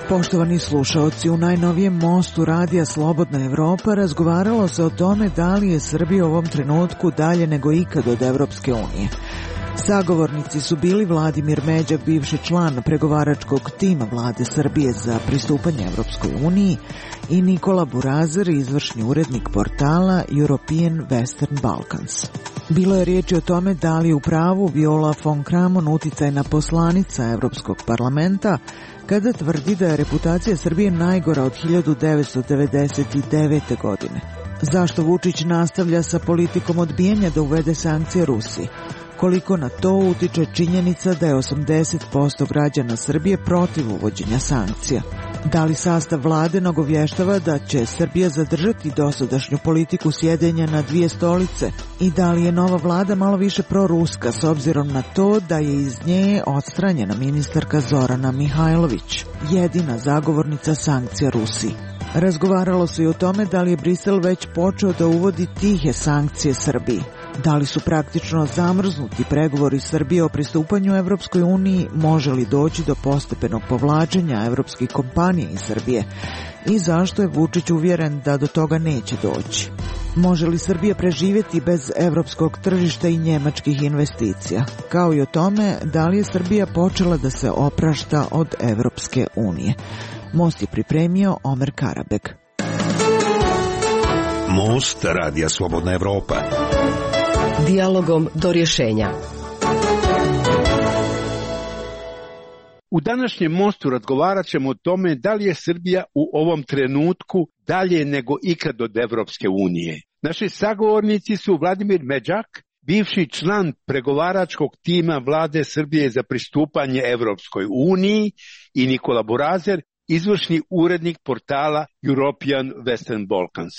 Poštovani slušaoci, u najnovijem mostu radija Slobodna Evropa razgovaralo se o tome da li je Srbija u ovom trenutku dalje nego ikad od Evropske unije. Sagovornici su bili Vladimir Međak, bivši član pregovaračkog tima vlade Srbije za pristupanje Evropskoj uniji, i Nikola Burazer, izvršni urednik portala European Western Balkans. Bilo je riječi o tome da li u pravu Viola von Kramon, uticajna poslanica Evropskog parlamenta, kada tvrdi da je reputacija Srbije najgora od 1999. godine. Zašto Vučić nastavlja sa politikom odbijanja da uvede sankcije Rusiji? Koliko na to utiče činjenica da je 80% građana Srbije protiv uvođenja sankcija? Da li sastav vlade nagovještava da će Srbija zadržati dosadašnju politiku sjedenja na dvije stolice? I da li je nova vlada malo više proruska s obzirom na to da je iz nje odstranjena ministarka Zorana Mihajlović, jedina zagovornica sankcija Rusiji? Razgovaralo se i o tome da li je Brisel već počeo da uvodi tihe sankcije Srbiji. Da li su praktično zamrznuti pregovori Srbije o pristupanju Evropskoj uniji, može li doći do postepenog povlačenja evropskih kompanija iz Srbije i zašto je Vučić uvjeren da do toga neće doći? Može li Srbija preživjeti bez evropskog tržišta i njemačkih investicija? Kao i o tome da li je Srbija počela da se oprašta od Evropske unije. Most je pripremio Omer Karabeg. Most radija Slobodna Evropa. Dijalogom do rješenja. U današnjem mostu razgovarat ćemo o tome da li je Srbija u ovom trenutku dalje nego ikad od Evropske unije. Naši sagovornici su Vladimir Međak, bivši član pregovaračkog tima vlade Srbije za pristupanje Evropskoj uniji, i Nikola Burazer, izvršni urednik portala European Western Balkans.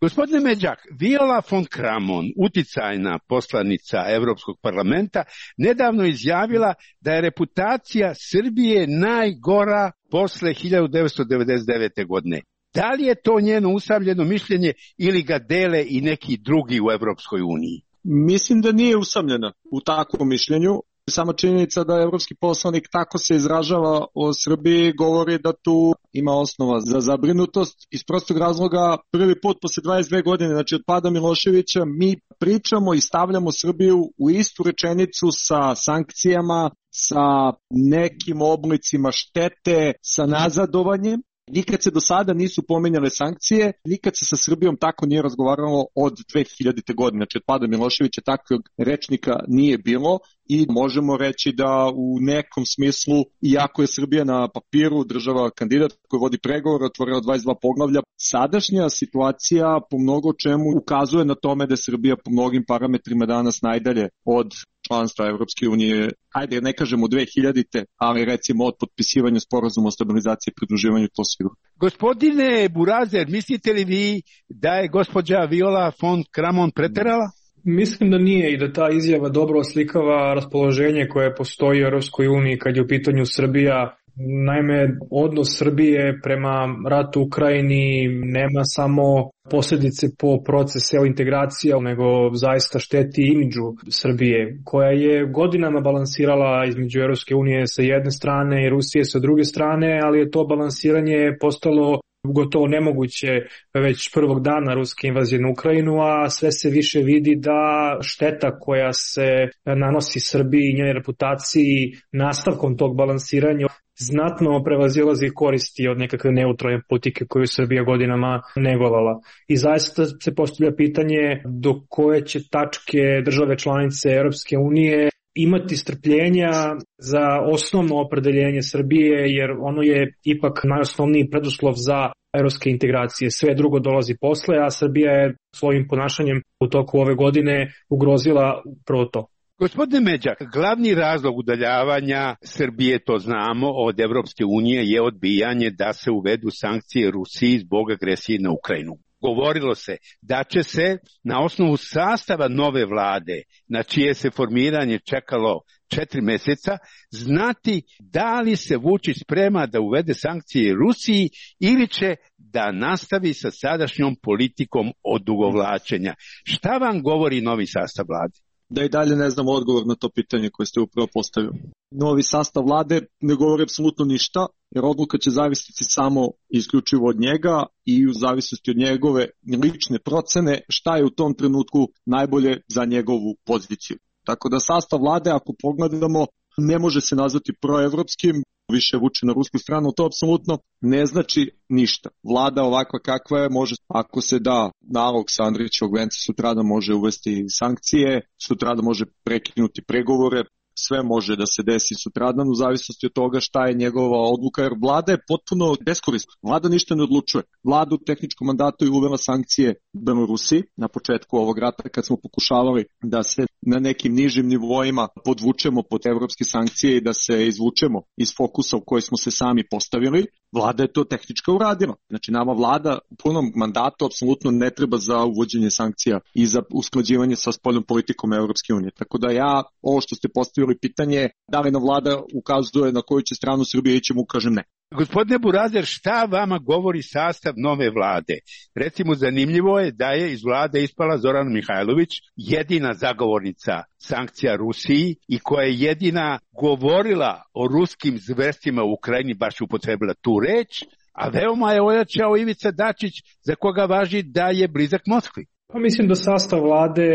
Gospodine Međak, Viola von Kramon, uticajna poslanica Evropskog parlamenta, nedavno izjavila da je reputacija Srbije najgora posle 1999. godine. Da li je to njeno usamljeno mišljenje ili ga dele i neki drugi u Evropskoj uniji? Mislim da nije usamljena u takvom mišljenju. Sama činjenica da evropski poslanik tako se izražava o Srbiji govori da tu ima osnova za zabrinutost. Iz prostog razloga, prvi put posle 22 godine, znači od pada Miloševića, mi pričamo i stavljamo Srbiju u istu rečenicu sa sankcijama, sa nekim oblicima štete, sa nazadovanjem. Nikad se do sada nisu pominjale sankcije, nikad se sa Srbijom tako nije razgovaralo od 2000. godine, znači od pada Miloševića takvog rečnika nije bilo i možemo reći da u nekom smislu, iako je Srbija na papiru država kandidat koji vodi pregovor, otvorila 22 poglavlja, sadašnja situacija po mnogo čemu ukazuje na tome da je Srbija po mnogim parametrima danas najdalje od članstva Evropske unije, ajde ne kažemo 2000. ali recimo od potpisivanja sporazuma o stabilizaciji i pridruživanju to sviru. Gospodine Burazer, mislite li vi da je gospođa Viola von Kramon preterala? Mislim da nije i da ta izjava dobro oslikava raspoloženje koje postoji u Evropskoj uniji kad je u pitanju Srbija. Naime, odnos Srbije prema ratu u Ukrajini nema samo posljedice po procesu integracija, nego zaista šteti imidžu Srbije, koja je godinama balansirala između Evropske unije sa jedne strane i Rusije sa druge strane, ali je to balansiranje postalo gotovo nemoguće već prvog dana ruske invazije na Ukrajinu, a sve se više vidi da šteta koja se nanosi Srbiji i njenoj reputaciji nastavkom tog balansiranja znatno prevazilazi koristi od nekakve neutralne politike koju Srbija godinama negovala. I zaista se postavlja pitanje do koje će tačke države članice Europske unije imati strpljenja za osnovno opredeljenje Srbije, jer ono je ipak najosnovniji preduslov za evropske integracije. Sve drugo dolazi posle, a Srbija je svojim ponašanjem u toku ove godine ugrozila upravo to. Gospodine Međak, glavni razlog udaljavanja Srbije, to znamo, od Evropske unije je odbijanje da se uvedu sankcije Rusiji zbog agresije na Ukrajinu. Govorilo se da će se na osnovu sastava nove vlade, na čije se formiranje čekalo 4 mjeseca, znati da li se Vučić sprema da uvede sankcije Rusiji ili će da nastavi sa sadašnjom politikom odugovlačenja. Šta vam govori novi sastav vlade? da i dalje ne znamo odgovor na to pitanje koje ste upravo postavili. Novi sastav vlade ne govori apsolutno ništa, jer odluka će zavisiti samo isključivo od njega i u zavisnosti od njegove lične procene šta je u tom trenutku najbolje za njegovu poziciju. Tako da sastav vlade, ako pogledamo, ne može se nazvati proevropskim, više vuče na rusku stranu, to apsolutno ne znači ništa. Vlada ovakva kakva je, može, ako se da nalog sa Andrićevog venca, sutradan može uvesti sankcije, sutradan može prekinuti pregovore, sve može da se desi sutradan u zavisnosti od toga šta je njegova odluka, jer vlada je potpuno beskorisna. Vlada ništa ne odlučuje. Vlada u tehničkom mandatu je uvela sankcije Belorusiji na početku ovog rata kad smo pokušavali da se na nekim nižim nivoima podvučemo pod evropske sankcije i da se izvučemo iz fokusa u koji smo se sami postavili. Vlada je to tehnički uradila. Znači nama vlada u punom mandatu apsolutno ne treba za uvođenje sankcija i za usklađivanje sa spoljnom politikom Evropske unije. Tako da ja, ovo što ste postavili pitanje, da li nam vlada ukazuje na koju će stranu Srbije ići, mu kažem ne. Gospodine Burazer, šta vama govori sastav nove vlade? Recimo, zanimljivo je da je iz vlade ispala Zorana Mihajlović, jedina zagovornica sankcija Rusiji i koja je jedina govorila o ruskim zverstvima u Ukrajini, baš upotrebila tu reč, a veoma je ojačao Ivica Dačić, za koga važi da je blizak Moskvi. Pa mislim da sastav vlade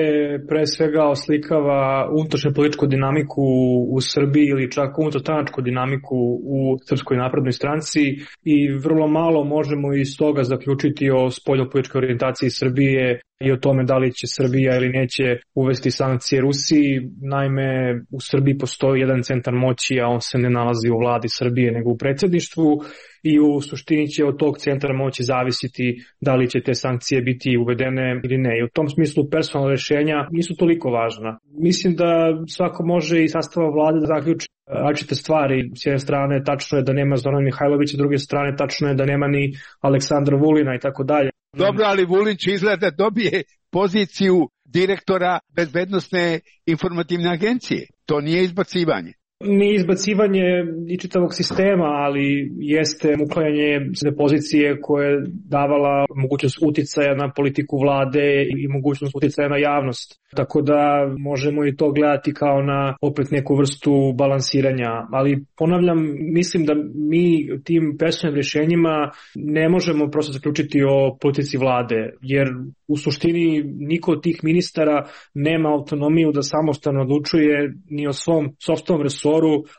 pre svega oslikava unutrašnju političku dinamiku u Srbiji ili čak unutarstranačku dinamiku u Srpskoj naprednoj stranci i vrlo malo možemo iz toga zaključiti o spoljnopolitičkoj orijentaciji Srbije i o tome da li će Srbija ili neće uvesti sankcije Rusiji. Naime, u Srbiji postoji jedan centar moći, a on se ne nalazi u vladi Srbije nego u predsjedništvu i u suštini će od tog centra moći zavisiti da li će te sankcije biti uvedene ili ne. I u tom smislu personalna rješenja nisu toliko važna. Mislim da svako može i sastava vlade da zaključi različite stvari. S jedne strane tačno je da nema Zorana Mihajlovića, s druge strane tačno je da nema ni Aleksandra Vulina i tako dalje. Dobro, ali Vulin će izgleda dobije poziciju direktora bezbednosne informativne agencije. To nije izbacivanje. Nije izbacivanje i čitavog sistema, ali jeste uklanjanje pozicije koje je davala mogućnost uticaja na politiku vlade i mogućnost uticaja na javnost. Tako da možemo i to gledati kao na opet neku vrstu balansiranja. Ali ponavljam, mislim da mi tim personalnim rješenjima ne možemo prosto zaključiti o politici vlade, jer u suštini niko od tih ministara nema autonomiju da samostalno odlučuje ni o svom sopstvenom resoru,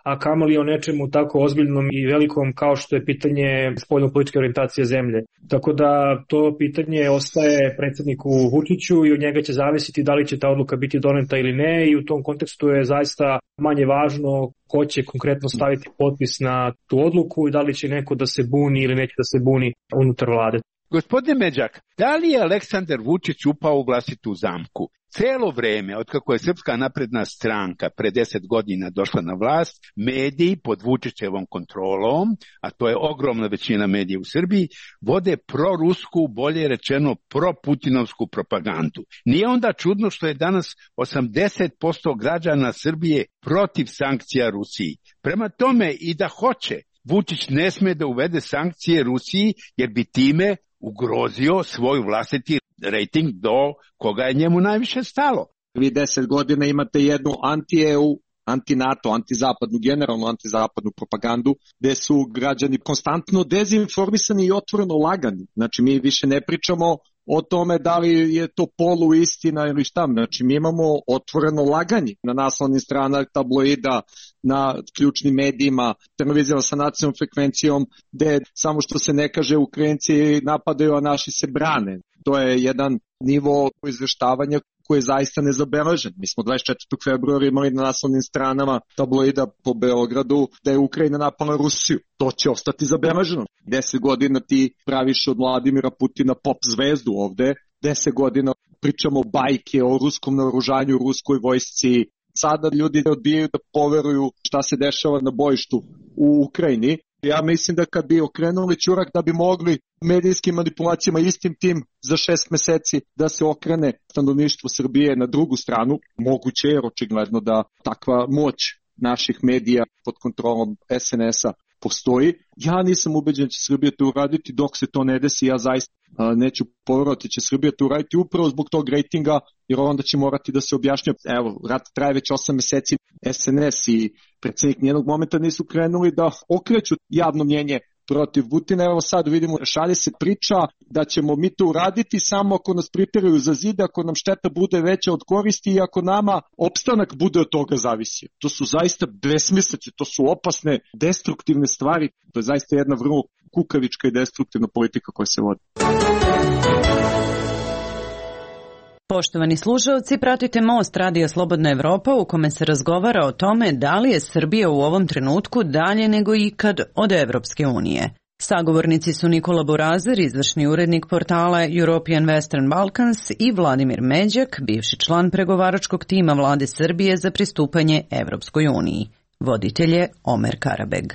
a kamoli o nečemu tako ozbiljnom i velikom kao što je pitanje spoljnopolitičke orijentacije zemlje. Tako da to pitanje ostaje predsjedniku Vučiću i od njega će zavisiti da li će ta odluka biti doneta ili ne i u tom kontekstu je zaista manje važno ko će konkretno staviti potpis na tu odluku i da li će neko da se buni ili neće da se buni unutar vlade. Gospodine Međak, da li je Aleksandar Vučić upao u vlastitu zamku? Celo vreme, otkako je Srpska napredna stranka pre 10 godina došla na vlast, mediji pod Vučićevom kontrolom, a to je ogromna većina medija u Srbiji, vode prorusku, bolje rečeno proputinovsku propagandu. Nije onda čudno što je danas 80% građana Srbije protiv sankcija Rusiji. Prema tome i da hoće, Vučić ne sme da uvede sankcije Rusiji jer bi time ugrozio svoj vlastiti rejting do koga je njemu najviše stalo. Vi 10 godina imate jednu anti-EU, anti-NATO, anti-zapadnu, generalno anti-zapadnu propagandu, gde su građani konstantno dezinformisani i otvoreno lagani. Znači mi više ne pričamo o tome da li je to poluistina ili šta. Znači mi imamo otvoreno laganje na naslovnim stranama tabloida, na ključnim medijima, televizijama sa nacionalnom frekvencijom, gde samo što se ne kaže Ukrajinci napadaju, a naši se brane. To je jedan nivo izveštavanja koji je zaista nezabeležen. Mi smo 24. februara imali na naslovnim stranama tabloida po Beogradu da je Ukrajina napala Rusiju. To će ostati zabeleženo. 10 godina ti praviš od Vladimira Putina pop zvezdu ovde, 10 godina pričamo bajke o ruskom naoružanju, ruskoj vojsci. Sada ljudi odbijaju da poveruju šta se dešava na bojištu u Ukrajini. Ja mislim da kad bi okrenuli ćurak da bi mogli medijskim manipulacijama istim tim za 6 meseci da se okrene stanovništvo Srbije na drugu stranu, moguće jer očigledno da takva moć naših medija pod kontrolom SNS-a postoji. Ja nisam ubeđen da će Srbija to uraditi, dok se to ne desi, ja zaista neću poverovati će Srbija to uraditi upravo zbog tog rejtinga, jer onda će morati da se objašnja. Evo, rat traje već 8 meseci, SNS i predsjednik nijednog momenta nisu krenuli da okreću javno mnjenje protiv Putina. Evo sad vidimo, šalje se priča da ćemo mi to uraditi samo ako nas priteraju za zid, ako nam šteta bude veća od koristi i ako nama opstanak bude od toga zavisi. To su zaista besmislice, to su opasne, destruktivne stvari. To je zaista jedna vrlo kukavička i destruktivna politika koja se vodi. Poštovani slušalci, pratite Most Radija Slobodna Evropa u kome se razgovara o tome da li je Srbija u ovom trenutku dalje nego ikad od Evropske unije. Sagovornici su Nikola Burazer, izvršni urednik portala European Western Balkans, i Vladimir Međak, bivši član pregovaračkog tima vlade Srbije za pristupanje Evropskoj uniji. Voditelj je Omer Karabeg.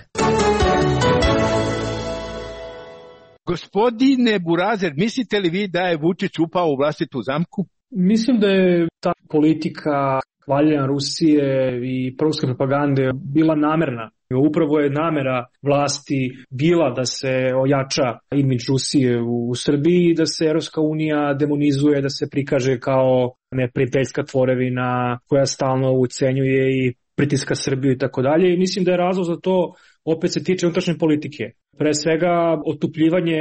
Gospodine Burazer, mislite li vi da je Vučić upao u vlastitu zamku? Mislim da je ta politika hvaljenja Rusije i proruske propagande bila namerna. Upravo je namera vlasti bila da se ojača imidž Rusije u Srbiji, da se Evropska unija demonizuje, da se prikaže kao neprijateljska tvorevina koja stalno ucenjuje i pritiska Srbiju i tako dalje. I mislim da je razlog za to opet se tiče unutrašnje politike. Pre svega otupljivanje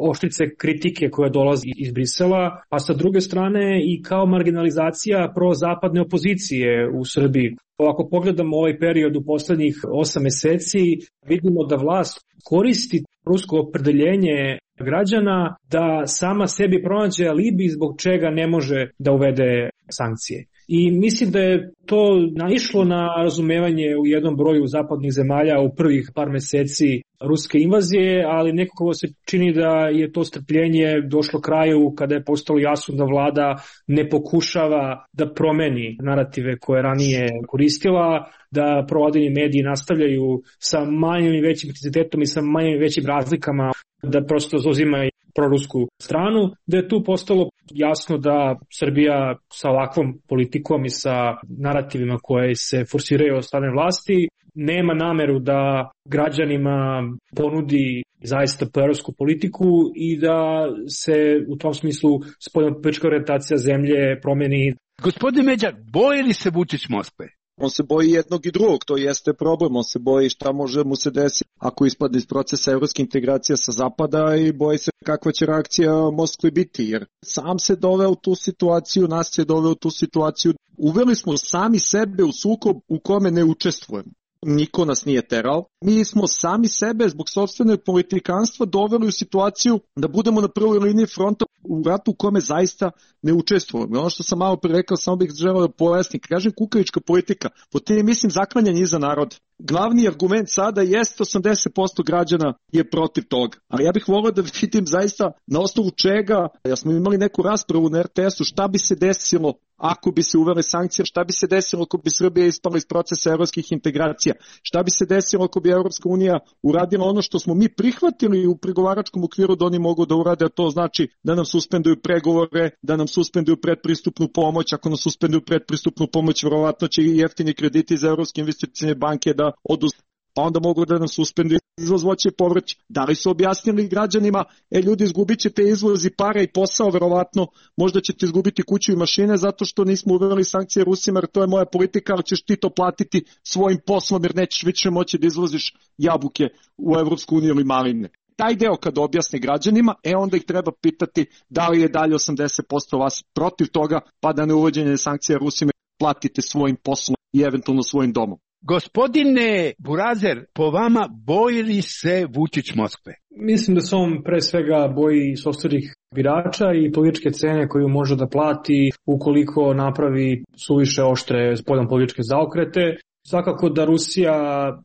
oštrice kritike koja dolazi iz Brisela, a sa druge strane i kao marginalizacija prozapadne opozicije u Srbiji. Ako pogledamo ovaj period u poslednjih 8 meseci, vidimo da vlast koristi rusko opredeljenje građana da sama sebi pronađe alibi zbog čega ne može da uvede sankcije. I mislim da je to naišlo na razumevanje u jednom broju zapadnih zemalja u prvih par meseci ruske invazije, ali nekako se čini da je to strpljenje došlo kraju kada je postalo jasno da vlada ne pokušava da promeni narative koje ranije koristila, da provladini mediji nastavljaju sa manjim i većim intenzitetom i sa manjim i većim razlikama da prosto zauzimaju prorusku stranu, da je tu postalo jasno da Srbija sa ovakvom politikom i sa narativima koje se forsiraju od strane vlasti nema nameru da građanima ponudi zaista proevropsku politiku i da se u tom smislu spoljnopolitička orijentacija zemlje promeni. Gospodine Međak, boji li se Vučić Moskve? On se boji jednog i drugog, to jeste problem, on se boji šta može mu se desiti ako ispadne iz procesa evropske integracije sa zapada i boji se kakva će reakcija Moskve biti, jer sam se doveo u tu situaciju, nas se doveo u tu situaciju, uveli smo sami sebe u sukob u kome ne učestvujemo. Niko nas nije terao. Mi smo sami sebe zbog sopstvenog politikanstva doveli u situaciju da budemo na prvoj liniji fronta u ratu u kome zaista ne učestvujemo. Ono što sam malo pre rekao, samo bih želeo da pojasnim. Kažem kukavička politika, po tim mislim zaklanjanje iza naroda. Glavni argument sada jeste 80% građana je protiv toga. Ali ja bih volio da vidim zaista na osnovu čega, ja smo imali neku raspravu na RTS-u, šta bi se desilo ako bi se uvele sankcije, šta bi se desilo ako bi Srbija ispala iz procesa evropskih integracija, šta bi se desilo ako bi Evropska unija uradila ono što smo mi prihvatili u pregovaračkom okviru da oni mogu da urade, a to znači da nam suspenduju pregovore, da nam suspenduju predpristupnu pomoć, ako nam suspenduju predpristupnu pomoć, verovatno će i jeftini krediti za Evropske investicione banke da odustanu, pa onda mogu da nam suspenduju izvoz voća i povrća. Da li su objasnili građanima, ljudi, izgubit ćete izvoz i pare i posao, verovatno, možda ćete izgubiti kuću i mašine zato što nismo uveli sankcije Rusima, jer to je moja politika, ali ćeš ti to platiti svojim poslom, jer nećeš više moći da izvoziš jabuke u Evropsku uniju ili maline. Taj deo kad objasni građanima, onda ih treba pitati da li je dalje 80% vas protiv toga, pa da ne uvođenje sankcija Rusima platite svojim poslom i eventualno svojim domom. Gospodine Burazer, po vama boji li se Vučić Moskve? Mislim da se on pre svega boji sopstvenih birača i političke cene koju može da plati ukoliko napravi suviše oštre spoljnopolitičke zaokrete. Svakako da Rusija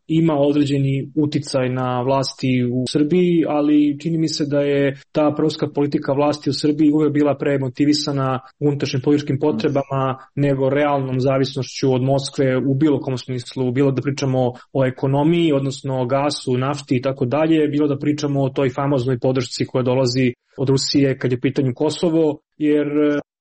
ima određeni uticaj na vlasti u Srbiji, ali čini mi se da je ta proruska politika vlasti u Srbiji uvek bila premotivisana unutrašnjim političkim potrebama nego realnom zavisnošću od Moskve u bilo kom smislu, bilo da pričamo o ekonomiji, odnosno o gasu, nafti i tako dalje, bilo da pričamo o toj famoznoj podršci koja dolazi od Rusije kad je u pitanju Kosovo, jer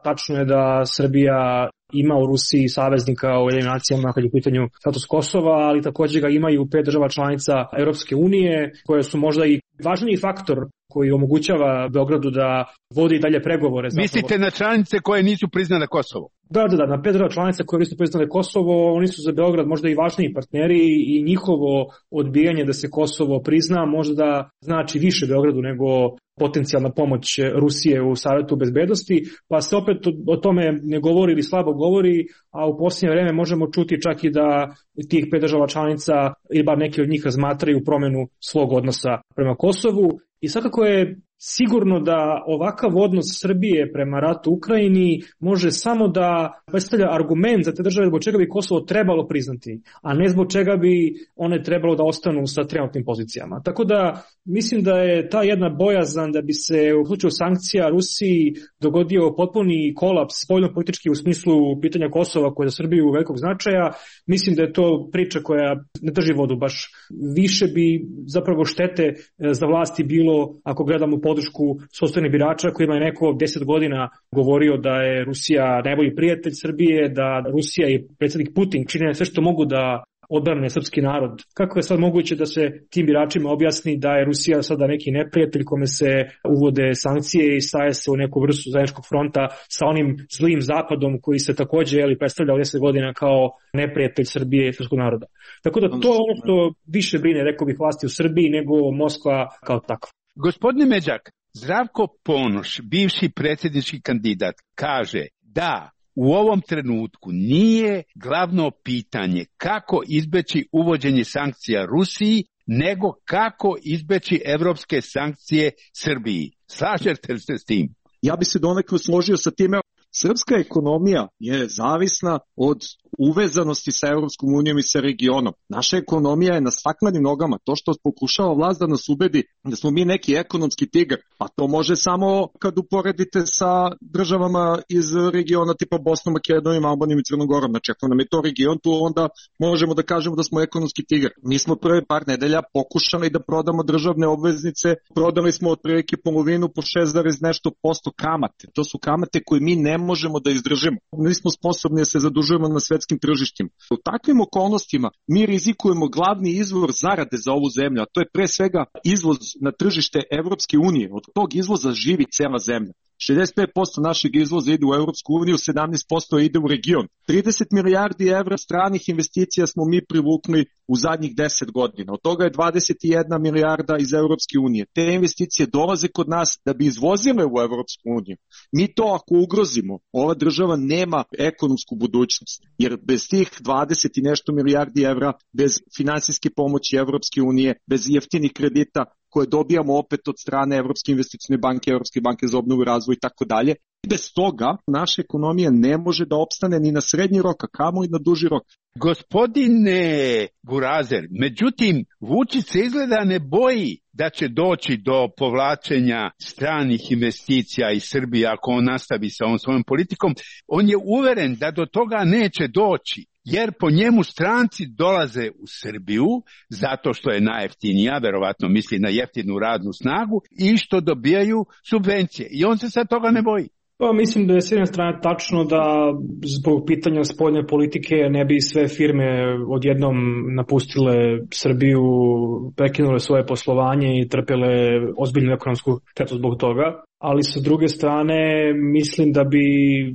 tačno je da Srbija ima u Rusiji saveznika u Ujedinjenim nacijama kad je u pitanju status Kosova, ali takođe ga imaju 5 država članica Europske unije, koje su možda i važniji faktor koji omogućava Beogradu da vodi dalje pregovore. Mislite na članice koje nisu priznale Kosovo? Da, na 5 država članica koje nisu priznale Kosovo, oni su za Beograd možda i važniji partneri i njihovo odbijanje da se Kosovo prizna možda znači više Beogradu nego potencijalna pomoć Rusije u Savetu bezbednosti, pa se opet o tome ne govori ili slabo govori, a u posljednje vreme možemo čuti čak i da tih 5 država članica ili bar neki od njih razmatraju promenu svog odnosa prema Kosovu. I svakako je sigurno da ovakav odnos Srbije prema ratu u Ukrajini može samo da predstavlja argument za te države zbog čega bi Kosovo trebalo priznati, a ne zbog čega bi one trebalo da ostanu sa trenutnim pozicijama. Tako da mislim da je ta jedna bojazan da bi se u slučaju sankcija Rusiji dogodio potpuni kolaps spoljno-politički u smislu pitanja Kosova koje je za Srbiju velikog značaja. Mislim da je to priča koja ne drži vodu baš. Više bi zapravo štete za vlasti bilo ako gledamo podršku sopstvenih birača kojima je neko 10 godina govorio da je Rusija najbolji prijatelj Srbije, da Rusija i predsjednik Putin čine sve što mogu da odbrane srpski narod. Kako je sad moguće da se tim biračima objasni da je Rusija sada neki neprijatelj kome se uvode sankcije i staje se u neku vrstu zajedničkog fronta sa onim zlim zapadom koji se takođe predstavlja 10 godina kao neprijatelj Srbije i srpskog naroda. Tako da to je ono što više brine, rekao bih, vlasti u Srbiji nego Moskva kao takva. Gospodine Međak, Zdravko Ponoš, bivši predsjednički kandidat, kaže da u ovom trenutku nije glavno pitanje kako izbeći uvođenje sankcija Rusiji, nego kako izbeći evropske sankcije Srbiji. Slažete li se s tim? Ja bi se donekle složio sa time. Srpska ekonomija je zavisna od uvezanosti sa Evropskom unijom i sa regionom. Naša ekonomija je na staklenim nogama. To što pokušava vlast da nas ubedi da smo mi neki ekonomski tigar, pa to može samo kad uporedite sa državama iz regiona tipa Bosnom, Makedonijom, Albanijom i Crnom Gorom. Znači ako nam je to region, tu onda možemo da kažemo da smo ekonomski tigar. Mi smo prve par nedelja pokušali da prodamo državne obveznice, prodali smo otprilike polovinu po 6,nešto% kamate. To su kamate koje mi ne možemo da izdržimo. Nismo sposobni da se zadužujemo na svetskim tržištima. U takvim okolnostima mi rizikujemo glavni izvor zarade za ovu zemlju, a to je pre svega izvoz na tržište Evropske unije. Od tog izvoza živi cela zemlja. 65% našeg izvoza ide u Evropsku uniju, 17% ide u region. 30 milijardi evra stranih investicija smo mi privukli u zadnjih 10 godina. Od toga je 21 milijarda iz Evropske unije. Te investicije dolaze kod nas da bi izvozile u Evropsku uniju. Mi to ako ugrozimo, ova država nema ekonomsku budućnost. Jer bez tih 20 i nešto milijardi evra, bez finansijske pomoći Evropske unije, bez jeftinih kredita koje dobijamo opet od strane Evropske investicione banke, Evropske banke za obnovu i razvoj i tako dalje. Bez toga naša ekonomija ne može da opstane ni na srednji rok, a kamoli na duži rok. Gospodine Burazer, međutim, Vučić se izgleda ne boji da će doći do povlačenja stranih investicija iz Srbije ako on nastavi sa ovom svojom politikom. On je uveren da do toga neće doći, jer po njemu stranci dolaze u Srbiju zato što je najjeftinija, verovatno misli na jeftinu radnu snagu, i što dobijaju subvencije. I on se sad toga ne boji. Pa mislim da je s jedne strane tačno da zbog pitanja spoljne politike ne bi sve firme odjednom napustile Srbiju, prekinule svoje poslovanje i trpele ozbiljnu ekonomsku štetu zbog toga. Ali sa druge strane mislim da bi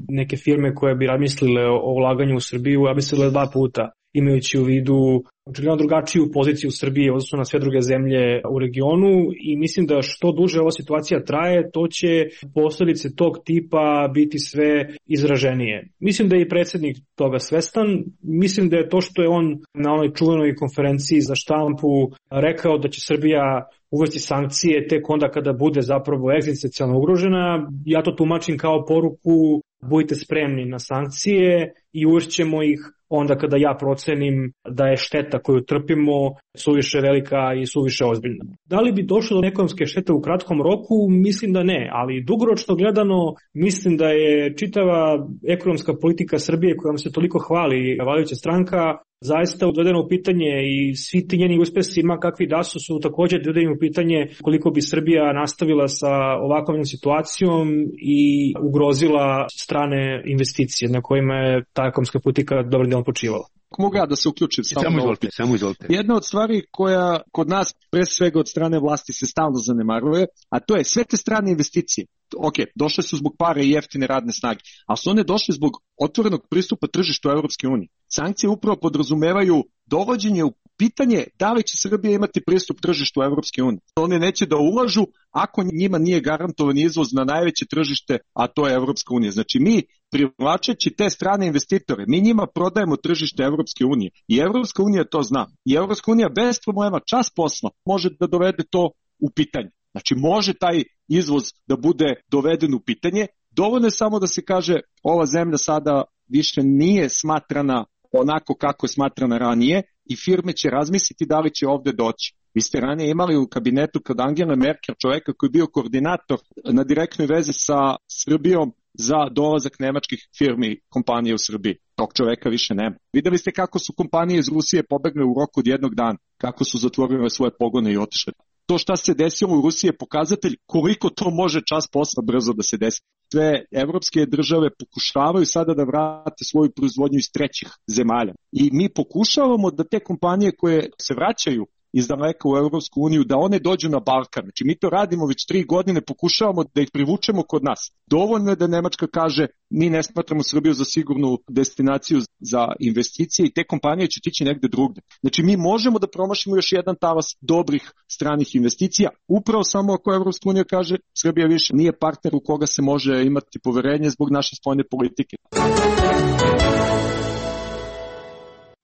neke firme koje bi razmislile o ulaganju u Srbiju razmislile 2 puta, imajući u vidu očigledno drugačiju poziciju Srbije u odnosu na sve druge zemlje u regionu, i mislim da što duže ova situacija traje, to će posljedice tog tipa biti sve izraženije. Mislim da je i predsjednik toga svestan, mislim da je to što je on na onoj čuvenoj konferenciji za štampu rekao da će Srbija uvesti sankcije tek onda kada bude zapravo egzistencijalno ugrožena, ja to tumačim kao poruku: budite spremni na sankcije i uvešćemo ih onda kada ja procenim da je šteta šteta koju trpimo suviše velika i suviše ozbiljna. Da li bi došlo do ekonomske štete u kratkom roku? Mislim da ne, ali dugoročno gledano mislim da je čitava ekonomska politika Srbije kojom se toliko hvali vladajuća stranka zaista dovedeno u pitanje i svi ti njeni uspesi ma kakvi da su također dovedeni u pitanje koliko bi Srbija nastavila sa ovakvom situacijom i ugrozila strane investicije na kojima je ta ekonomska politika dobrim delom počivala. Mogu ja da se uključim? Samo izvolite. Jedna od stvari koja kod nas pre svega od strane vlasti se stalno zanemaruje, a to je sve te strane investicije. Ok, došle su zbog pare i jeftine radne snage, ali su one došle zbog otvorenog pristupa tržištu Evropske unije. Sankcije upravo podrazumevaju dovođenje u pitanje da li će Srbija imati pristup tržištu Evropske unije. One neće da ulažu ako njima nije garantovan izvoz na najveće tržište, a to je Evropska unija. Znači mi privlačeći te strane investitore, mi njima prodajemo tržište Evropske unije i Evropska unija to zna. I Evropska unija bez problema čas posla može da dovede to u pitanje. Znači može taj izvoz da bude doveden u pitanje, dovoljno je samo da se kaže ova zemlja sada više nije smatrana onako kako je smatrana ranije i firme će razmisliti da li će ovde doći. Vi ste ranije imali u kabinetu kod Angele Merkel čoveka koji je bio koordinator na direktnoj vezi sa Srbijom za dolazak nemačkih firmi kompanije u Srbiji. Tog čoveka više nema. Videli ste kako su kompanije iz Rusije pobegle u roku od jednog dana, kako su zatvorile svoje pogone i otišle. To šta se desilo u Rusiji je pokazatelj koliko to može čas posla brzo da se desi. Sve evropske države pokušavaju sada da vrate svoju proizvodnju iz trećih zemalja. I mi pokušavamo da te kompanije koje se vraćaju iz daleka u Evropsku uniju, da one dođu na Balkan. Znači mi to radimo već 3 godine, pokušavamo da ih privučemo kod nas. Dovoljno je da Nemačka kaže mi ne smatramo Srbiju za sigurnu destinaciju za investicije i te kompanije će tići negde drugde. Znači mi možemo da promašimo još jedan talas dobrih stranih investicija, upravo samo ako Evropska unija kaže Srbija više nije partner u koga se može imati poverenje zbog naše spoljne politike.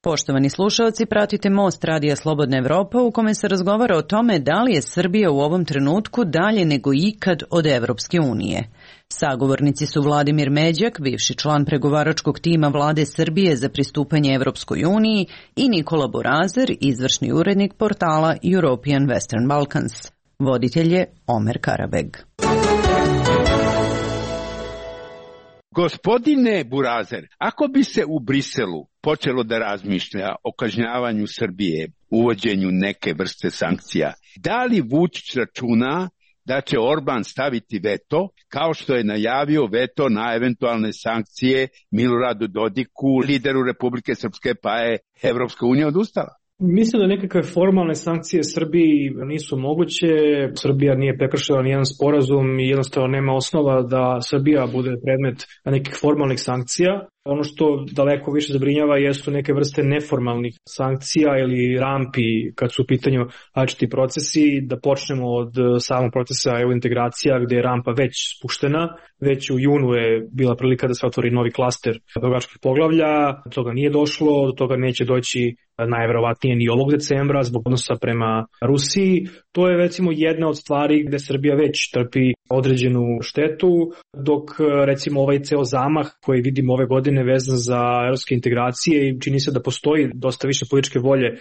Poštovani slušalci, pratite Most Radija Slobodna Evropa u kome se razgovara o tome da li je Srbija u ovom trenutku dalje nego ikad od Evropske unije. Sagovornici su Vladimir Međak, bivši član pregovaračkog tima Vlade Srbije za pristupanje Evropskoj uniji i Nikola Borazer, izvršni urednik portala European Western Balkans. Voditelj je Omer Karabeg. Gospodine Borazer, ako bi se u Briselu počelo da razmišlja o kažnjavanju Srbije, uvođenju neke vrste sankcija, da li Vučić računa da će Orban staviti veto, kao što je najavio veto na eventualne sankcije Miloradu Dodiku, lideru Republike Srpske, pa je Evropska unija odustala? Mislim da nekakve formalne sankcije Srbiji nisu moguće. Srbija nije prekršila nijedan sporazum i jednostavno nema osnova da Srbija bude predmet nekih formalnih sankcija. Ono što daleko više zabrinjava jesu neke vrste neformalnih sankcija ili rampi kad su u pitanju različiti procesi. Da počnemo od samog procesa EU integracija gdje je rampa već spuštena. Već u junu je bila prilika da se otvori novi klaster pregovaračkih poglavlja. Do toga nije došlo, do toga neće doći najverovatnije ni ovog decembra zbog odnosa prema Rusiji. To je recimo jedna od stvari gde Srbija već trpi određenu štetu, dok recimo ovaj ceo zamah koji vidimo ove godine vezan za evropske integracije i čini se da postoji dosta više političke volje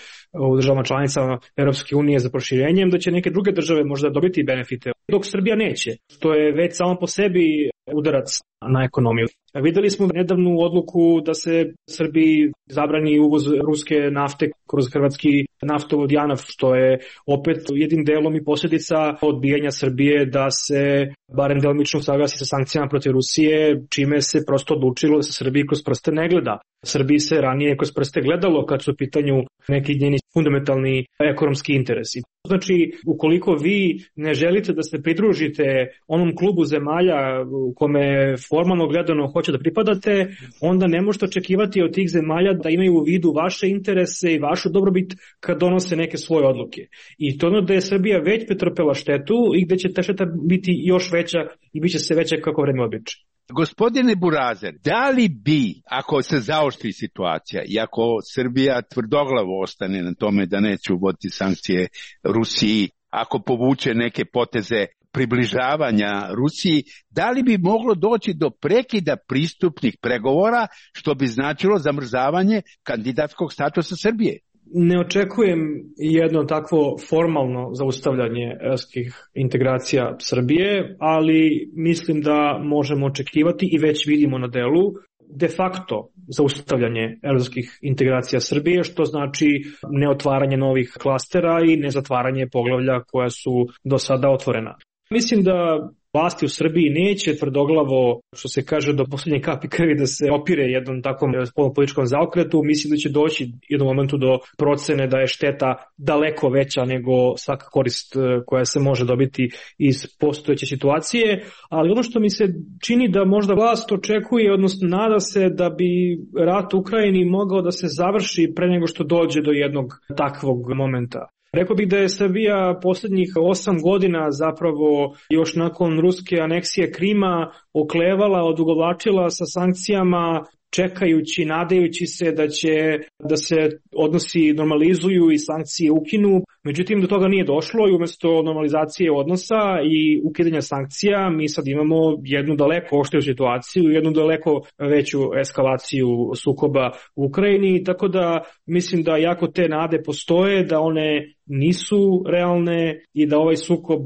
u državama članicama Evropske unije za proširenjem, da će neke druge države možda dobiti benefite, dok Srbija neće. To je već samo po sebi udarac na ekonomiju. Videli smo nedavnu odluku da se Srbiji zabrani uvoz ruske nafte kroz hrvatski naftovod JANAF, što je opet jednim delom i posljedica odbijanja Srbije da se barem delimično saglasi sa sankcijama protiv Rusije, čime se prosto odlučilo da se Srbiji kroz prste ne gleda. Srbiji se ranije kroz prste gledalo kad su u pitanju neki njeni fundamentalni ekonomski interesi. Znači, ukoliko vi ne želite da se pridružite onom klubu zemalja u kome formalno gledano hoće da pripadate, onda ne možete očekivati od tih zemalja da imaju u vidu vaše interese i vašu dobrobit kad donose neke svoje odluke. I to ono da je Srbija već pretrpela štetu i gde će ta šteta biti još veća i bit će se veća kako vreme običe. Gospodine Borazer, da li bi, ako se zaoštri situacija i ako Srbija tvrdoglavo ostane na tome da neće uvoditi sankcije Rusiji, ako povuče neke poteze približavanja Rusiji, da li bi moglo doći do prekida pristupnih pregovora, što bi značilo zamrzavanje kandidatskog statusa Srbije? Ne očekujem jedno takvo formalno zaustavljanje evropskih integracija Srbije, ali mislim da možemo očekivati i već vidimo na delu de facto zaustavljanje evropskih integracija Srbije, što znači neotvaranje novih klastera i nezatvaranje poglavlja koja su do sada otvorena. Mislim da vlasti u Srbiji neće tvrdoglavo, što se kaže, do poslednje kapi krvi da se opire jednom takvom političkom zaokretu. Mislim da će doći u jednom momentu do procene da je šteta daleko veća nego svaka korist koja se može dobiti iz postojeće situacije, ali ono što mi se čini da možda vlast očekuje, odnosno nada se da bi rat u Ukrajini mogao da se završi pre nego što dođe do jednog takvog momenta. Rekao bih da je Srbija poslednjih 8 godina zapravo još nakon ruske aneksije Krima oklevala, odugovlačila sa sankcijama, čekajući, nadajući se da će da se odnosi normalizuju i sankcije ukinu. Međutim, do toga nije došlo i umesto normalizacije odnosa i ukidanja sankcija mi sad imamo jednu daleko oštriju situaciju, jednu daleko veću eskalaciju sukoba u Ukrajini, tako da mislim da jako te nade postoje, da one nisu realne i da ovaj sukob,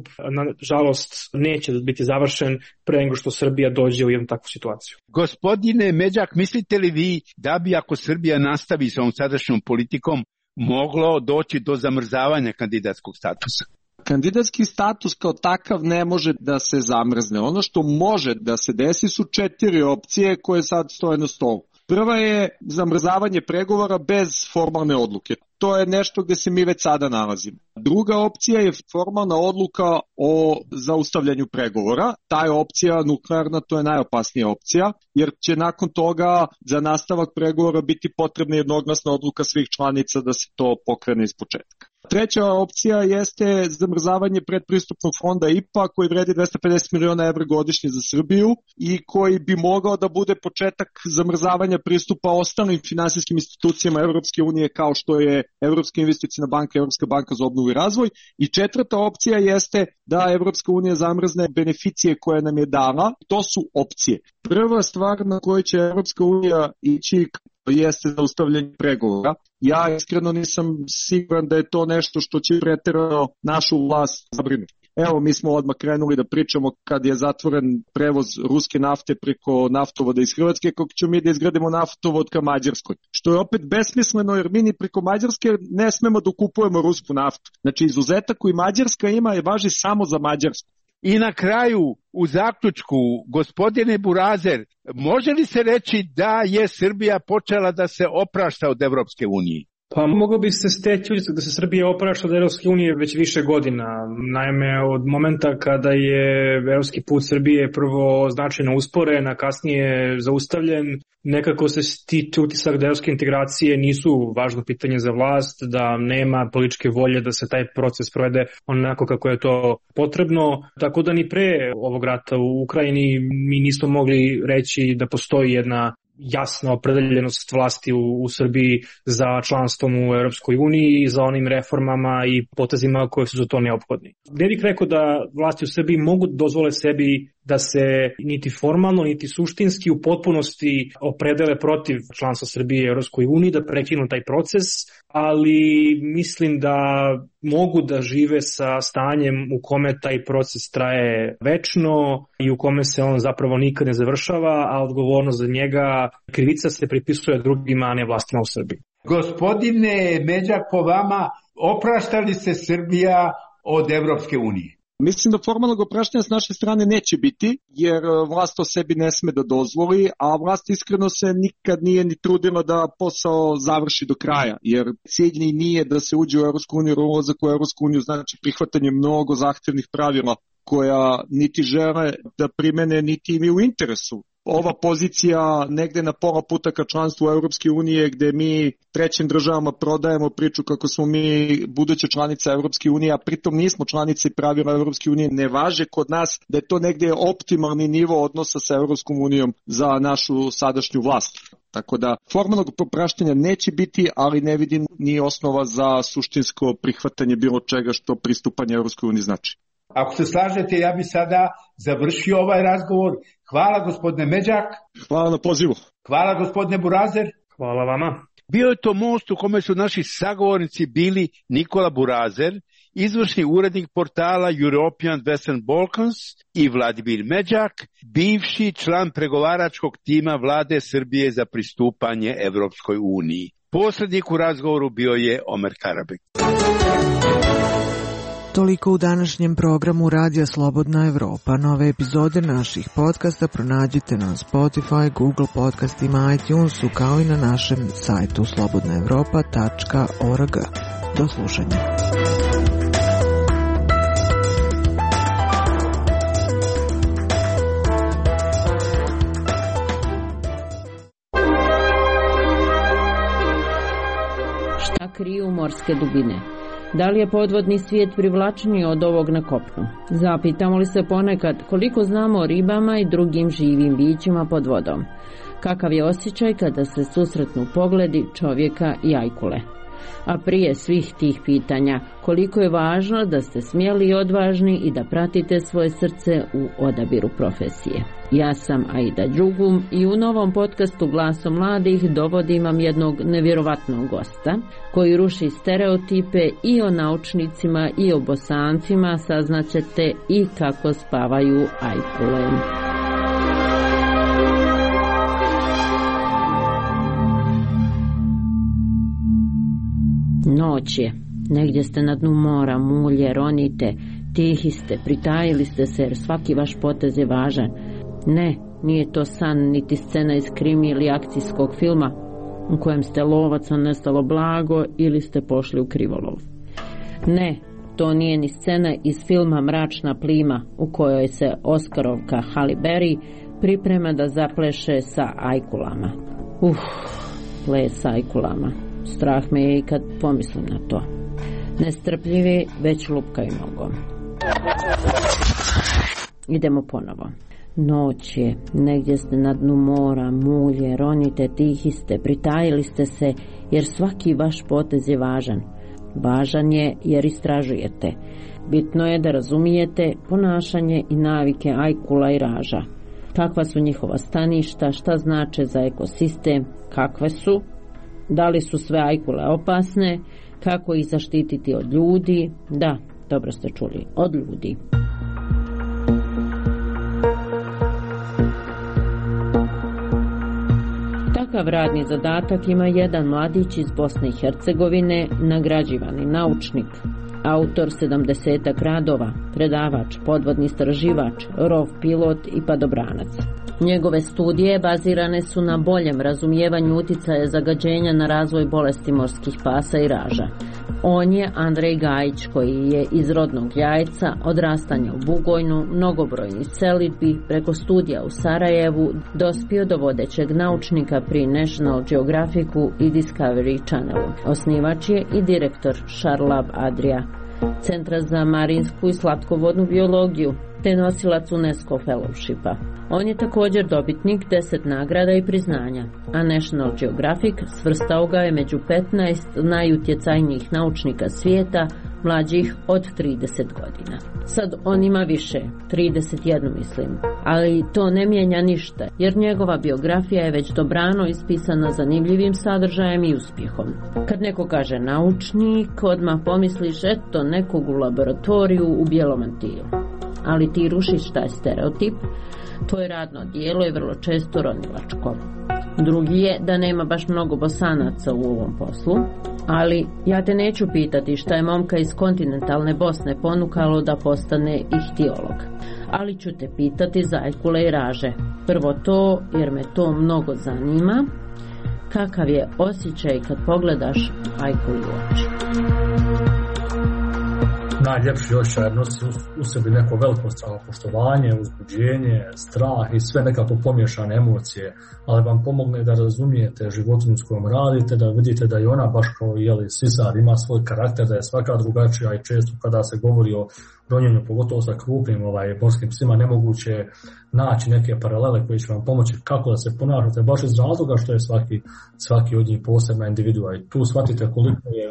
nažalost, neće biti završen pre nego što Srbija dođe u jednu takvu situaciju. Gospodine Međak, mislite li vi da bi, ako Srbija nastavi sa ovom sadašnjom politikom, moglo doći do zamrzavanja kandidatskog statusa? Kandidatski status kao takav ne može da se zamrzne. Ono što može da se desi su 4 opcije koje sad stoje na stolu. Prva je zamrzavanje pregovora bez formalne odluke. To je nešto gde se mi već sada nalazimo. Druga opcija je formalna odluka o zaustavljanju pregovora. Ta je opcija nuklearna, to je najopasnija opcija, jer će nakon toga za nastavak pregovora biti potrebna jednoglasna odluka svih članica da se to pokrene iz početka. Treća opcija jeste zamrzavanje predpristupnog fonda IPA koji vredi 250 miliona evra godišnje za Srbiju i koji bi mogao da bude početak zamrzavanja pristupa ostalim finansijskim institucijama Evropske unije kao što je Evropska investiciona banka, Evropska banka za obnovu i razvoj. I četvrta opcija jeste da Evropska unija zamrzne beneficije koje nam je dala. To su opcije. Prva stvar na kojoj će Evropska unija ići jeste zaustavljanje pregovora. Ja iskreno nisam siguran da je to nešto što će preterano našu vlast zabrinuti. Evo, mi smo odmah krenuli da pričamo kad je zatvoren prevoz ruske nafte preko naftovoda iz Hrvatske, kako ćemo mi da izgradimo naftovod ka Mađarskoj. Što je opet besmisleno jer mi ni preko Mađarske ne smemo da kupujemo rusku naftu. Znači, izuzetak koji Mađarska ima je važi samo za Mađarsku. I na kraju, u zaključku, gospodine Burazer, može li se reći da je Srbija počela da se oprašta od Evropske unije? Pa moglo bi se steći da se Srbija oprašta od Evropske unije već više godina. Naime, od momenta kada je evropski put Srbije prvo značajno usporen, a kasnije zaustavljen, nekako se stiče utisak da evropske integracije nisu važno pitanje za vlast, da nema političke volje da se taj proces provede onako kako je to potrebno. Tako da ni pre ovog rata u Ukrajini mi nismo mogli reći da postoji jedna jasna opredeljenost vlasti u Srbiji za članstvom u Europskoj uniji i za onim reformama i potezima koje su za to neophodni. Ne bih rekao da vlasti u Srbiji mogu dozvole sebi da se niti formalno, niti suštinski u potpunosti opredele protiv članstva Srbije u Europskoj uniji, da prekinu taj proces, ali mislim da mogu da žive sa stanjem u kome taj proces traje večno i u kome se on zapravo nikad ne završava, a odgovornost za njega, krivica se pripisuje drugima, a ne vlastima u Srbiji. Gospodine Međak, po vama, oprašta li se Srbija od Evropske unije? Mislim da formalnog opraštanja s naše strane neće biti, jer vlast o sebi ne sme da dozvoli, a vlast iskreno se nikad nije ni trudila da posao završi do kraja, jer cilj nije da se uđe u Evropsku uniju, jer ulazak u Evropsku uniju znači prihvatanje mnogo zahtevnih pravila koja niti žele da primene, niti im je u interesu. Ova pozicija negde na pola puta ka članstvu Evropske unije gde mi trećim državama prodajemo priču kako smo mi buduća članica Evropske unije, a pritom nismo članice i pravila Evropske unije ne važe kod nas, da je to negde optimalni nivo odnosa sa Evropskom unijom za našu sadašnju vlast. Tako da formalnog popraštanja neće biti, ali ne vidim ni osnova za suštinsko prihvatanje bilo čega što pristupanje Evropskoj uniji znači. Ako se slažete, ja bi sada završio ovaj razgovor. Hvala gospodine Međak. Hvala na pozivu. Hvala gospodine Burazer. Hvala vama. Bio je to most u kome su naši sagovornici bili Nikola Burazer, izvršni urednik portala European Western Balkans, i Vladimir Međak, bivši član pregovaračkog tima vlade Srbije za pristupanje Evropskoj uniji. Posrednik u razgovoru bio je Omer Karabek. Toliko u današnjem programu Radija Slobodna Evropa. Nove epizode naših podcasta pronađite na Spotify, Google podcastima, iTunesu, kao i na našem sajtu slobodnaevropa.org. Do slušanja. Šta kriju morske dubine? Da li je podvodni svijet privlačniji od ovog na kopnu? Zapitamo li se ponekad koliko znamo o ribama i drugim živim bićima pod vodom? Kakav je osjećaj kada se susretnu pogledi čovjeka i ajkule? A prije svih tih pitanja, koliko je važno da ste smjeli i odvažni i da pratite svoje srce u odabiru profesije. Ja sam Aida Đugum i u novom podcastu Glasom mladih dovodim vam jednog nevjerovatnog gosta koji ruši stereotipe i o naučnicima i o Bosancima, saznaćete i kako spavaju ajkule. Noć je, negdje ste na dnu mora, mulje, ronite, tihi ste, pritajili ste se jer svaki vaš potez je važan. Ne, nije to san niti scena iz krimi ili akcijskog filma u kojem ste lovac, a nestalo blago ili ste pošli u krivolov. Ne, to nije ni scena iz filma Mračna plima u kojoj se Oskarovka Halle Berry priprema da zapleše sa ajkulama. Ples sa ajkulama. Strah me je i kad pomislim na to. Nestrpljivi već lupkaju nogom. Idemo ponovo. Noć je, negdje ste na dnu mora, mulje, ronite, tihi ste, pritajili ste se jer svaki vaš potez je važan. Važan je jer istražujete. Bitno je da razumijete ponašanje i navike ajkula i raža. Kakva su njihova staništa, šta znače za ekosistem, kakve su, da li su sve ajkule opasne, kako ih zaštititi od ljudi, da, dobro ste čuli, od ljudi. Takav radni zadatak ima jedan mladić iz Bosne i Hercegovine, nagrađivani naučnik, autor 70 radova, predavač, podvodni istraživač, rov pilot i padobranac. Njegove studije bazirane su na boljem razumijevanju uticaja zagađenja na razvoj bolesti morskih pasa i raža. On je Andrej Gajić, koji je iz rodnog Jajca, odrastanja u Bugojnu, mnogobrojnih selidbi, preko studija u Sarajevu, dospio do vodećeg naučnika pri National Geographicu i Discovery Channelu. Osnivač je i direktor Charlab Adria, Centra za marinsku i slatkovodnu biologiju, te nosilac UNESCO Fellowshipa. On je također dobitnik 10 nagrada i priznanja, a National Geographic svrstao ga je među 15 najutjecajnijih naučnika svijeta mlađih od 30 godina. Sad on ima više, 31 mislim, ali to ne mijenja ništa, jer njegova biografija je već dobrano ispisana zanimljivim sadržajem i uspjehom. Kad neko kaže naučnik, odmah pomisliš eto nekog u laboratoriju u bijelom mantilu. Ali ti rušiš taj stereotip, tvoje radno dijelo je vrlo često ronilačko. Drugi je da nema baš mnogo Bosanaca u ovom poslu, ali ja te neću pitati šta je momka iz kontinentalne Bosne ponukalo da postane ihtiolog. Ali ću te pitati za ajkule i raže. Prvo to, jer me to mnogo zanima. Kakav je osjećaj kad pogledaš ajkuli u oči? Najljepši osjećaj nosi u sebi neko veliko samopoštovanje, uzbuđenje, strah i sve nekako pomiješane emocije, ali vam pomogne da razumijete životinju s kojom radite, da vidite da i ona baš kao sisar ima svoj karakter, da je svaka drugačija i često kada se govori o ronjenju, pogotovo sa krupnim morskim psima, nemoguće naći neke paralele koje će vam pomoći kako da se ponašate baš iz razloga što je svaki od njih posebna individua i tu shvatite koliko je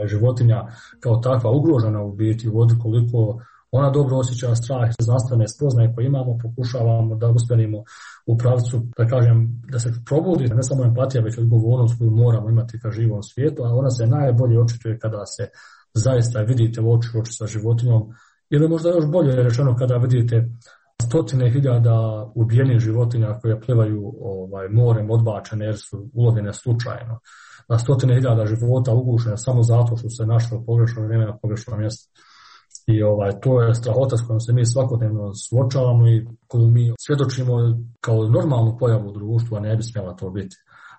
životinja kao takva ugrožena u biti u vodi, koliko Ona dobro osjeća strah, znanstvene spoznaje koje imamo, pokušavamo da usmjerimo u pravcu, da kažem, da se probudi ne samo empatija, već odgovornost koju moramo imati ka živom svijetu, a ona se najbolje očituje kada se zaista vidite u oči sa životinjom, ili možda još bolje rečeno kada vidite stotine hiljada ubijenih životinja koje plivaju morem odbačene jer su ulovljene slučajno. Na stotine hiljada života ugušene samo zato što se našlo u pogrešno vrijeme na pogrešnom mjestu. I to je strahota s kojom se mi svakodnevno suočavamo i koju mi svjedočimo kao normalnu pojavu u društvu, a ne bi smjela to biti.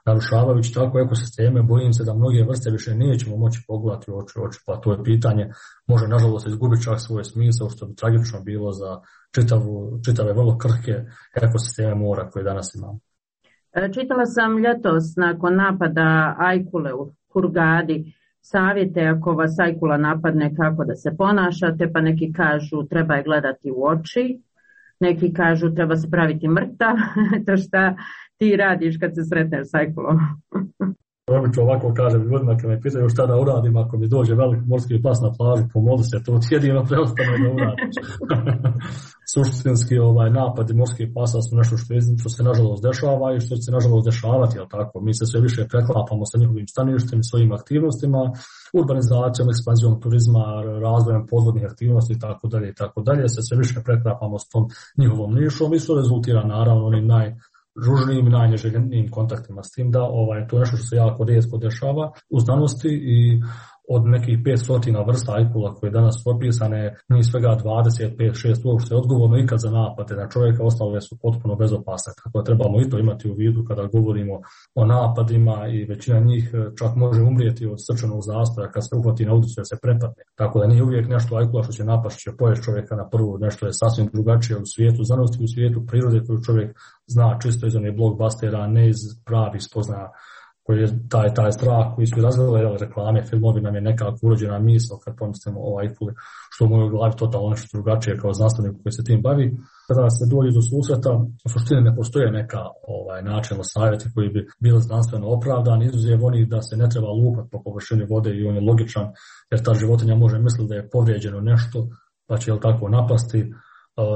Narušavajući tako ekosisteme, bojim se da mnoge vrste više nećemo moći pogledati u oči, pa to je pitanje može nažalost izgubiti čak svoj smisao, što bi tragično bilo za čitave vrlo krhke ekosisteme mora koje danas imamo. Čitala sam ljetos nakon napada ajkule u Hurgadi savjete ako vas ajkula napadne kako da se ponašate, pa neki kažu treba je gledati u oči, neki kažu treba se praviti mrtav, to šta ti radiš kad se sretneš s ajkulom? Obično ovako kažem ljudima kad me pitaju šta da uradim ako mi dođe velik morski pas na plažu, pomoli se, to jedino preostane da uradiš. Suštinski napadi morskih pasa su nešto što se nažalost dešava i što će se nažalost dešavati, jel tako? Mi se sve više preklapamo sa njihovim staništem i svojim aktivnostima, urbanizacijom, ekspanzijom turizma, razvojem podvodnih aktivnosti i tako dalje, se sve više preklapamo s tom njihovom nišom i što rezultira naravno onim najružnijim i najneželjenijim kontaktima s tim da to je nešto što se jako rijetko dešava u znanosti i od nekih 500 vrsta ajkula koje danas popisane, ni svega 25-6 uopšte odgovorno ikad za napade na čovjeka, ostale su potpuno bezopasne. Tako da trebamo i to imati u vidu kada govorimo o napadima i većina njih čak može umrijeti od srčanog zastoja kad se uhvati na udicu da se prepadne. Tako da nije uvijek nešto ajkula što će napast, će pojesti čovjeka na prvu, nešto je sasvim drugačije u svijetu znanosti, u svijetu prirode koju čovjek zna čisto iz onih blockbustera, ne iz pravih spoznaja koji je taj strah koji su razvile reklame, filmovi nam je nekako urođena misao kad pomislimo o ajkuli, što u mojoj glavi totalno nešto drugačije kao znanstvenik koji se tim bavi. Kada se dođe do susreta, u suštini ne postoje neka načelno savjeti koji bi bili znanstveno opravdani, izuzev onih da se ne treba lupati po površini vode i on je logičan, jer ta životinja može misliti da je povrijeđeno nešto, pa će tako napasti.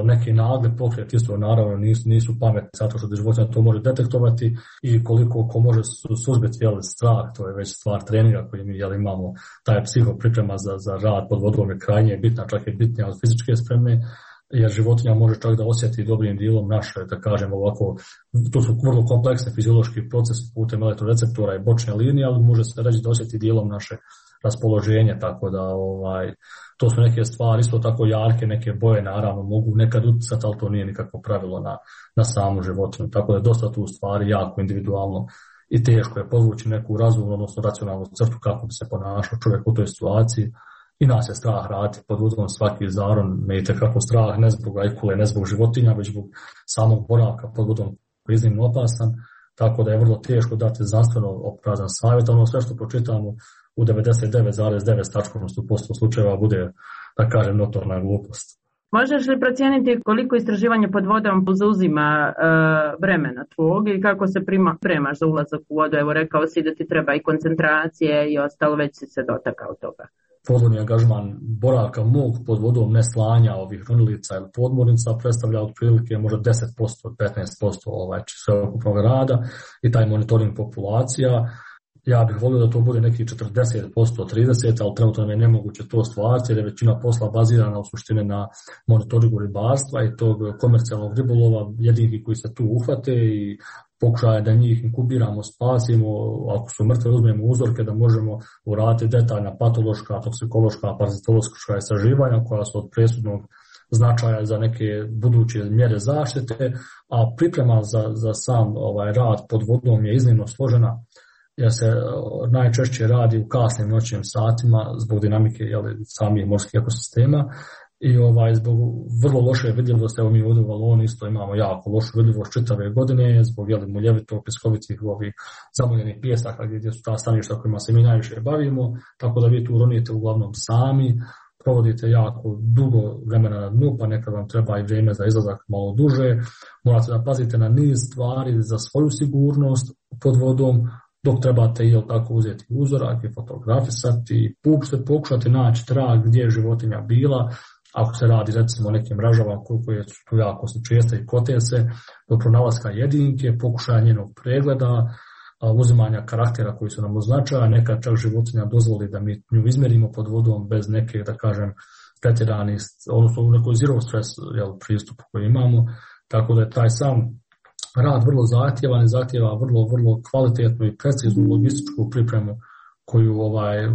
Neki nagli pokret isto naravno nisu pametni zato što životinja to može detektovati i koliko ko može suzbiti strah, to je već stvar treninga koji mi imamo, taj psihopriprema za rad pod vodom je krajnje bitna, čak je bitnija od fizičke spreme, jer životinja može čak da osjeti dobrim dijelom naše, da kažem ovako, to su vrlo kompleksne fiziološki procesi putem elektroreceptora i bočne linije, ali može se reći da osjeti dijelom naše raspoloženje, tako da to su neke stvari, isto tako jarke, neke boje naravno mogu nekad utjecati, ali to nije nikakvo pravilo na samu životinju, tako da je dosta tu stvari jako individualno i teško je podvući neku razumnu, odnosno racionalnu crtu kako bi se ponašao čovjek u toj situaciji. I nas je strah raditi pod uzgom svaki zaron, me je tekako strah ne zbog ajkule, ne zbog životinja, već zbog samog boravka pod vodom koji je iznimno opasan, tako da je vrlo teško dati znanstveno opravdan savjet, ono sve što pročitamo u 99,9% slučajeva bude, da kažem, notorna glupost. Možeš li procijeniti koliko istraživanje pod vodom zauzima vremena tvog i kako se premaš za ulazak u vodu? Evo rekao si da ti treba i koncentracije i ostalo, već si se dotakao toga. Podvodni angažman boravka mog pod vodom, ne slanja ovih ronilica ili podmornica, predstavlja otprilike možda 10%, 15% sveukupnog rada i taj monitoring populacija. Ja bih volio da to bude neki 40%, 30%, ali trenutno je nemoguće to stvariti jer je većina posla bazirana u suštini na monitoringu ribarstva i tog komercijalnog ribolova, jedinki koji se tu uhvate i pokušaje da njih inkubiramo, spasimo, ako su mrtve uzmemo uzorke da možemo uraditi detaljna patološka, toksikološka, parazitološka istraživanja koja su od presudnog značaja za neke buduće mjere zaštite, a priprema za sam rad pod vodom je iznimno složena jer se najčešće radi u kasnim noćnim satima zbog dinamike samih morskih ekosistema i zbog vrlo loše vidljivosti. Evo mi ovdje u Valoni isto imamo jako lošu vidljivost čitave godine zbog muljevitog, piskovitih zamoljenih pijesaka gdje su ta staništa kojima se mi najviše bavimo, tako da vi tu ronite uglavnom sami, provodite jako dugo vremena na dnu, pa nekad vam treba i vrijeme za izlazak malo duže, morate da pazite na niz stvari za svoju sigurnost pod vodom, dok trebate tako uzeti uzorak i fotografisati, pokušati naći trag gdje je životinja bila, ako se radi recimo o nekim mrežama koje su tu jako česte i kote se, do pronalaska jedinke, pokušaja njenog pregleda, uzimanja karaktera koji su nam označaja, nekad čak životinja dozvoli da mi nju izmerimo pod vodom bez neke, da kažem, pretjerani, odnosno u nekoj zero stress pristupu koji imamo, tako da je taj sam rad vrlo zahtjevan i zahtjeva vrlo kvalitetnu i preciznu logističku pripremu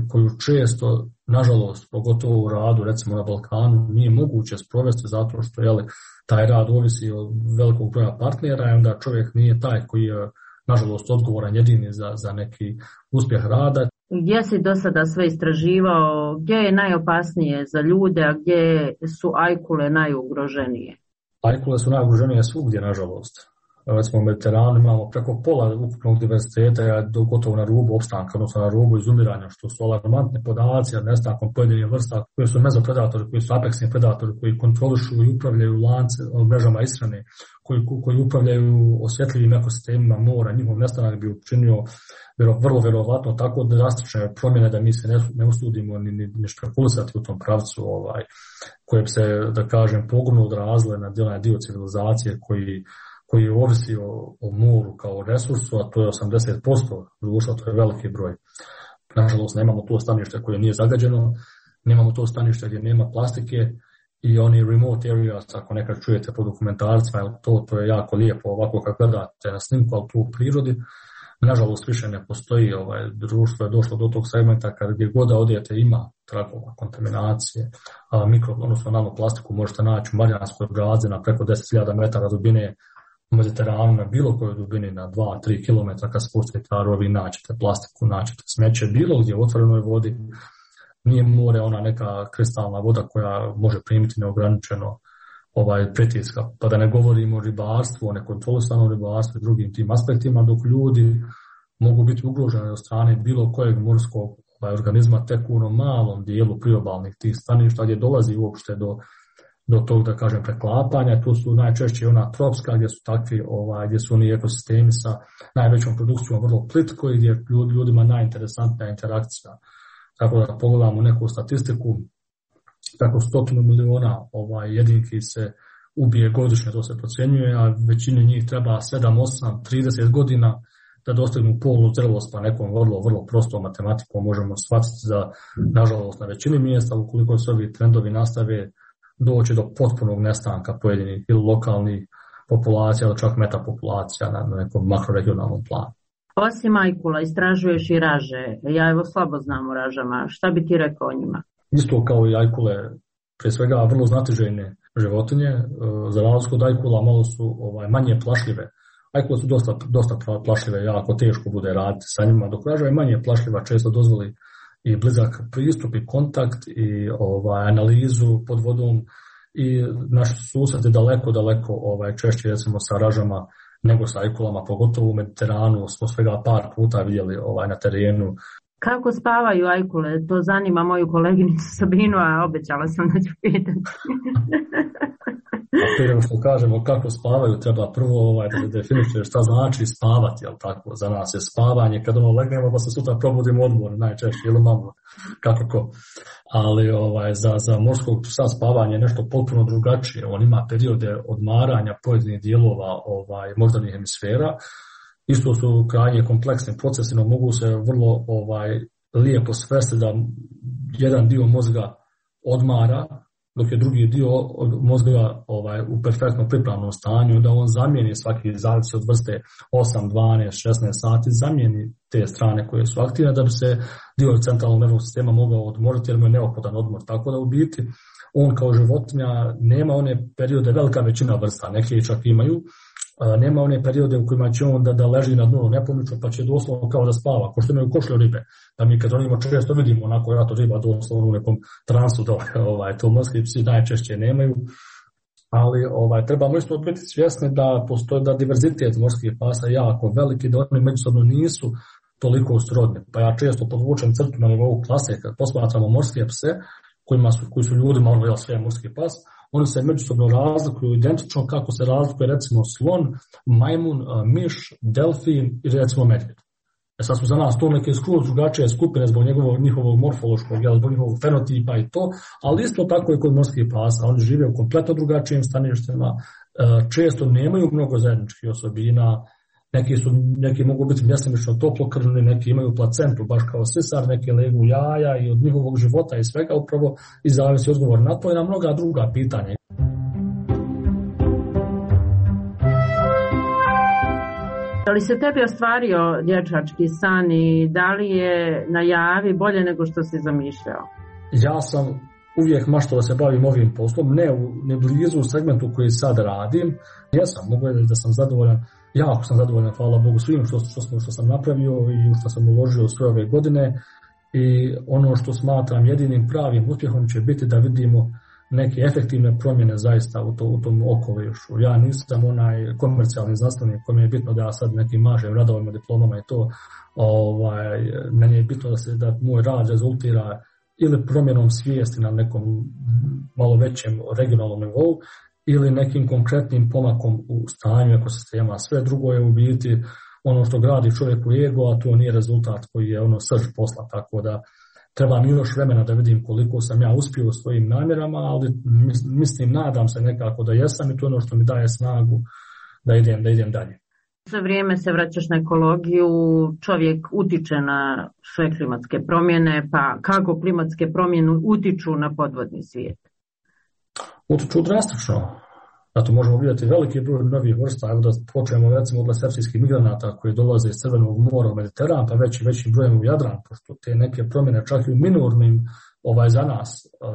koju često, nažalost, pogotovo u radu, recimo na Balkanu, nije moguće sprovesti zato što taj rad ovisi od velikog broja partnera i onda čovjek nije taj koji je, nažalost, odgovoran jedini za neki uspjeh rada. Gdje si do sada sve istraživao, gdje je najopasnije za ljude, a gdje su ajkule najugroženije? Ajkule su najugroženije svugdje, nažalost. Recimo u Mediteranu imamo preko pola ukupnog diverziteta gotovo na rubu opstanka, odnosno na rubu izumiranja, što su alarmantne podaci, jer nestankom pojedinih vrsta koji su mezopredatori, koji su apeksni predatori, koji kontrolišu i upravljaju lance, mrežama ishrane, koji upravljaju osjetljivim ekosistemima mora, njihov nestanak bi učinio vrlo vjerovatno tako drastične promjene da mi se ne usudimo ni špekulisati u tom pravcu koje bi se, da kažem, pogubno odrazile na dio civilizacije koji ovisi o moru kao resursu, a to je 80% društva, to je veliki broj. Nažalost, nemamo to stanište koje nije zagađeno, nemamo to stanište gdje nema plastike i oni remote areas, ako nekad čujete po dokumentarcima, to je jako lijepo ovako kad gledate na snimku, ali tu u prirodi. Nažalost, više ne postoji, društvo je došlo do tog segmenta kad gdje god da odete ima tragova kontaminacije, odnosno nanoplastiku možete naći u Marijanskoj bazi na preko 10.000 metara dubine, u Mediteranu na bilo kojoj dubini na 2-3 km kad spustite rovi naćete plastiku, naćete smeće, bilo gdje u otvorenoj vodi. Nije more ona neka kristalna voda koja može primiti neograničeno pritiska. Pa da ne govorimo o ribarstvu, o nekontrolisanom ribarstvu i drugim tim aspektima, dok ljudi mogu biti ugroženi od strane bilo kojeg morskog organizma tek u onom malom dijelu priobalnih tih staništa gdje dolazi uopšte do tog, da kažem, preklapanja. Tu su najčešće ona tropska gdje su takvi, gdje su oni ekosistemi sa najvećom produkcijom vrlo plitko i gdje ljudima najinteresantnija interakcija. Tako da pogledamo neku statistiku, preko 100 miliona jedinki se ubije godišnje, to se procjenjuje, a većini njih treba 7, 8, 30 godina da dostignu polnu zrelost, pa nekom vrlo prostom matematikom možemo shvatiti da, nažalost, na većini mjesta, ukoliko se ovi trendovi nastave, doći do potpunog nestanka pojedinih ili lokalnih populacija ili čak metapopulacija na nekom makroregionalnom planu. Osim ajkula, istražuješ i raže. Ja evo slabo znam o ražama. Šta bi ti rekao o njima? Isto kao i ajkule, prije svega vrlo znatiželjne životinje. Za razliku od ajkula malo su manje plašljive. Ajkule su dosta plašljive, jako teško bude raditi sa njima, dok raža je manje plašljiva, često dozvoli i blizak pristup i kontakt i analizu pod vodom i naši susreti daleko češće recimo sa ražama nego sa ajkulama, pogotovo u Mediteranu smo svega par puta vidjeli na terenu. Kako spavaju ajkule? To zanima moju koleginicu Sabinu, a obećala sam da ću pitati. A prije što kažemo kako spavaju, treba prvo da definiše šta znači spavati, jel tako? Za nas je spavanje kad legnemo pa se sutra probudimo odmor najčešće ili malo kako ko. Ali za morskog psa spavanje je nešto potpuno drugačije. On ima periode odmaranja pojedinih dijelova moždanih hemisfera. Isto su krajnje kompleksni procesi, no mogu se vrlo lijepo svesti da jedan dio mozga odmara, dok je drugi dio mozga u perfektnom pripravnom stanju, da on zamijeni svaki, zavisi od vrste 8, 12, 16 sati, zamijeni te strane koje su aktivne da bi se dio centralnog nervnog sistema mogao odmoriti jer mu je neophodan odmor. Tako da u biti on kao životinja nema one periode, velika većina vrsta, neke čak imaju, nema one periode u kojima će on da leži na dnu nepomično pa će doslovno kao da spava, ko što imaju košlje ribe. Da mi kad onimo često vidimo onako rato riba doslovno u nekom transu, to morski psi najčešće nemaju. Ali trebamo isto biti svjesni da postoji da diverzitet morskih pasa jako veliki, da oni međusobno nisu toliko srodni. Pa ja često podvučem crtu na nivou klase kad posmatramo morske pse koji su ljudima sve morski pas. Oni se međusobno razlikuju identično kako se razlikuje recimo slon, majmun, miš, delfin i recimo medvjed. Sad su za nas to neke skroz drugačije skupine zbog njihovog morfološkog, zbog njihovog fenotipa i to, ali isto tako je kod morskih pasa. Oni žive u kompletno drugačijim staništima, često nemaju mnogo zajedničkih osobina, neki mogu biti mjesemično toplokrvni, neki imaju placentu, baš kao sisar, neki legu jaja i od njihovog života i svega upravo i zavisi odgovor na to i na mnoga druga pitanja. Da li se tebi ostvario dječački san i da li je na javi bolje nego što si zamišljao? Ja sam uvijek maštao da se bavim ovim poslom, ne blizu u segmentu koji sad radim. Mogu reći da sam zadovoljan, jako sam zadovoljan, hvala Bogu, svim što sam napravio i što sam uložio sve ove godine. I ono što smatram jedinim pravim uspjehom će biti da vidimo neke efektivne promjene zaista u tom okolišu. Ja nisam onaj komercijalni znanstvenik kome je bitno da ja sad nekim mažem radovima, diplomama i to. Meni je bitno da moj rad rezultira ili promjenom svijesti na nekom malo većem regionalnom nivou ili nekim konkretnim pomakom u stanju ekosistema. Sve drugo je u biti ono što gradi čovjeku ego, a to nije rezultat koji je srž posla, tako da treba mi još vremena da vidim koliko sam ja uspio u svojim namjerama, ali nadam se nekako da jesam i to je ono što mi daje snagu da idem dalje. Sve vrijeme se vraćaš na ekologiju, čovjek utiče na sve klimatske promjene, pa kako klimatske promjene utiču na podvodni svijet? Utiču drastično. Zato možemo vidjeti veliki broj novih vrsta, evo da počnemo recimo od sepsijskih migranata koji dolaze iz Crvenog mora u Mediteran, pa većim brojem u Jadran, pošto te neke promjene čak i u minornim za nas,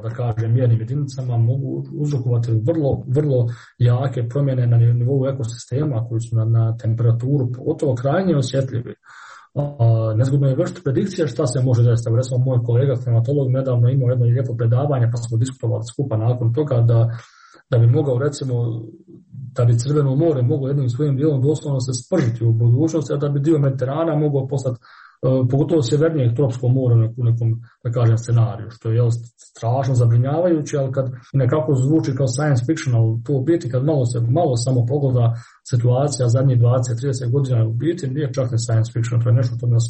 da kažem, mjernim jedinicama mogu uzrokovati vrlo jake promjene na nivou ekosistema koji su na temperaturu pogotovo krajnje osjetljivi. Nezgodno je vršiti predikcije šta se može desiti. Recimo moj kolega klimatolog nedavno imao jedno lijepo predavanje pa smo diskutovali skupa nakon toga da bi mogao recimo da bi Crveno more moglo jednim svojim dijelom doslovno se spržiti u budućnosti, a da bi dio Mediterana mogao postati pogotovo sjevernijeg tropskog mora u nekom, da kažem, scenariju, što je strašno zabrinjavajuće, ali kad nekako zvuči kao science fiction, ali to u biti kad malo samo pogleda situacija zadnjih 20-30 godina u biti nije čak ne science fiction, to je nešto što nas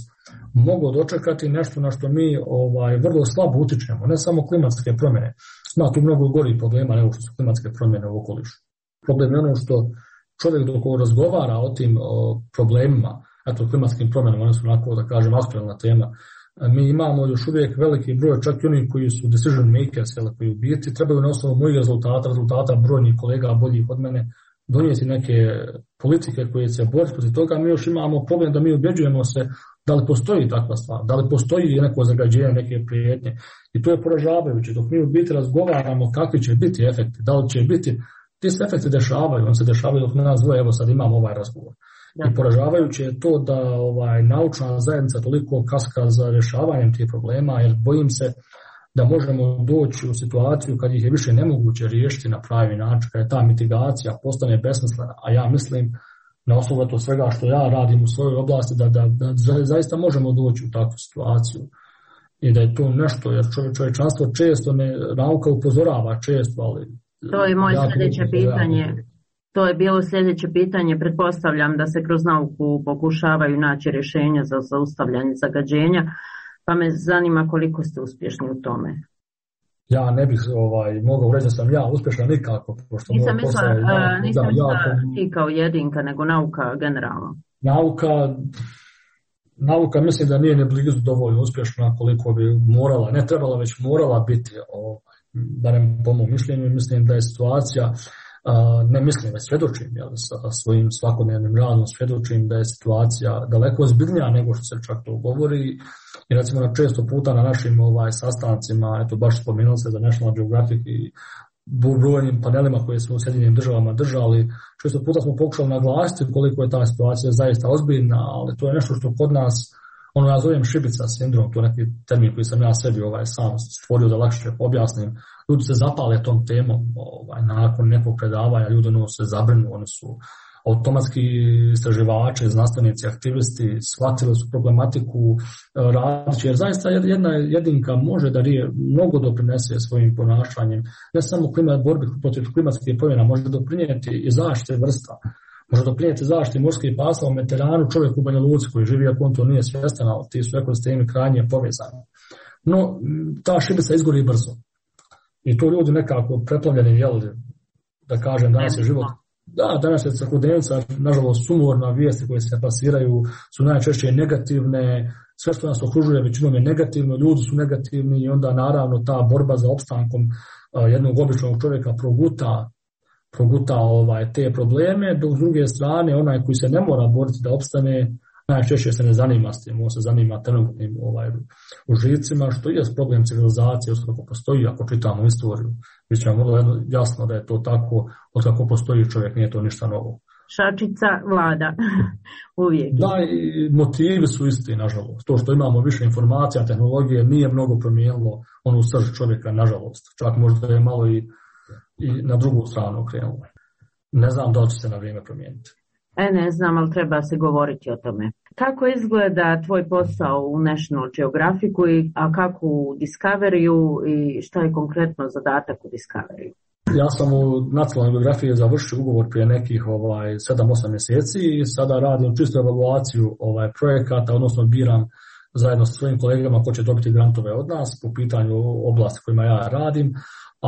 moglo dočekati, nešto na što mi vrlo slabo utičemo, ne samo klimatske promjene. Ima tu mnogo gorih problema nego što su klimatske promjene u okolišu. Problem je ono što čovjek dok razgovara o tim problemima, klimatskim promjenama, one su onako, da kažem, aktualna tema. Mi imamo još uvijek veliki broj, čak i oni koji su decision makers, koji u biti trebaju na osnovu mojih rezultata brojnih kolega boljih od mene, donijeti neke politike koje se boriti protiv toga. Mi još imamo problem da mi ubjeđujemo se da li postoji takva stvar, da li postoji neko zagađenje, neke prijetnje. I to je poražavajuće. Dok mi u biti razgovaramo kakvi će biti efekti, da li će biti, ti se efekti dešavaju, on se dešavaju dok nas dvoje, evo sad imamo ovaj razgovor. I poražavajuće je to da naučna zajednica toliko kaska za rješavanjem tih problema, jer bojim se da možemo doći u situaciju kad ih je više nemoguće riješiti na pravi način, kad je ta mitigacija postane besmislena, a ja mislim na osnovu to svega što ja radim u svojoj oblasti da zaista možemo doći u takvu situaciju i da je to nešto, jer čovječanstvo često nauka upozorava često, ali to je moje sljedeće pitanje. To je bilo sljedeće pitanje. Pretpostavljam da se kroz nauku pokušavaju naći rješenja za zaustavljanje zagađenja, pa me zanima koliko ste uspješni u tome. Ja ne bih mogao reći da sam ja uspješan nikako. Nisam mislila ti kao jedinka, nego nauka generalno. Nauka mislim da nije ne blizu dovoljno uspješna koliko bi morala, ne trebala, već morala biti, barem po mom mišljenju. Mislim da je situacija, ne mislim, već svjedočim, sa svojim svakodnevnim radom svjedočim da je situacija daleko ozbiljnija nego što se čak to govori. I recimo na često puta na našim sastancima, eto baš spomenuo se za National Geographic i brojnim panelima koje smo u Sjedinjenim državama držali, često puta smo pokušali naglasiti koliko je ta situacija zaista ozbiljna, ali to je nešto što kod nas, ja zovem šibica sindrom, to je neki termin koji sam ja sebi sam stvorio da lakše objasnim. Ljudi se zapale tom temom, nakon nekog predavanja ljudi se zabrinu, oni su automatski istraživači, znanstvenici, aktivisti, shvatili su problematiku radići, jer zaista jedna jedinka može da mnogo doprinese svojim ponašanjem, ne samo borbi protiv klimatskih promjena, može doprinijeti i zaštite vrsta, Može doprinijeti zaštiti morskih pasa u Mediteranu čovjek u Banja Luci koji živi, ako on to nije svjestan, ali ti su ekosistemi krajnje povezani. No, ta šibica izgori brzo. I to ljudi nekako preplavljeni, da kažem, danas je život. Da, danas je svakodnevnica, nažalost, sumorna, vijesti koje se plasiraju su najčešće negativne, sve što nas okružuje većinom je negativno, ljudi su negativni i onda naravno ta borba za opstankom jednog običnog čovjeka proguta te probleme, dok s druge strane onaj koji se ne mora boriti da opstane, najčešće se ne zanima s tim, on se zanima trenutnim užicima, što je problem civilizacije, kako postoji, ako čitamo istoriju, bit će vam vrlo jasno da je to tako, od kako postoji čovjek, nije to ništa novo. Šačica vlada, uvijek. Da, i motivi su isti, nažalost. To što imamo više informacija, tehnologije, nije mnogo promijenilo onu srž čovjeka, nažalost. Čak možda je malo i na drugu stranu krenulo. Ne znam da li će se na vrijeme promijeniti. Ne znam, ali treba se govoriti o tome. Kako izgleda tvoj posao u National Geographicu, a kako u Discoveryu i šta je konkretno zadatak u Discoveryu? Ja sam u Nacionalnoj geografiji završio ugovor prije nekih 7-8 mjeseci i sada radim čistu evaluaciju projekata, odnosno biram zajedno sa svojim kolegama ko će dobiti grantove od nas po pitanju oblasti kojima ja radim,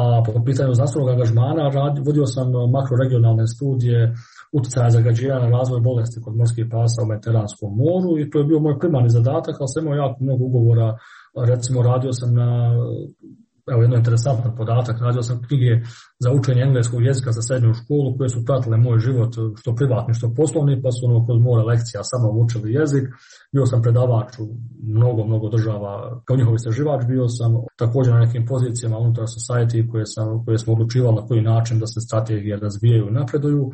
a po pitanju znanstvenog angažmana vodio sam makroregionalne studije utjecaja zagađenja na razvoj bolesti kod morskih pasa u Mediteranskom moru i to je bio moj primarni zadatak, ali sam imao jako mnogo ugovora. Recimo radio sam na, jedno interesantan podatak, radio sam knjige za učenje engleskog jezika za srednju školu koje su pratile moj život, što privatni, što poslovni, pa su kroz more lekcija sa mnom učili jezik. Bio sam predavač u mnogo država, kao njihov istraživač, bio sam također na nekim pozicijama unutar society koje smo odlučivali na koji način da se strategije razvijaju i napreduju.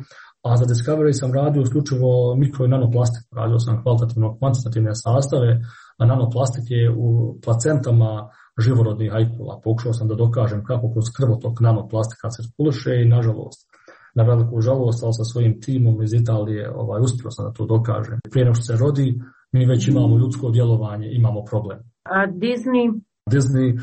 A za Discovery sam radio isključivo mikro i nanoplastiku. Radio sam kvalitativno-kvantitativne sastave, a nanoplastike u placentama živorodnih ajkula. Pokušao sam da dokažem kako kroz krvotok nanoplastika cirkuliše i nažalost, na veliku žalost, ali sa svojim timom iz Italije uspio sam da to dokažem. Prije nego što se rodi, mi već imamo ljudsko djelovanje, imamo problem. A Disney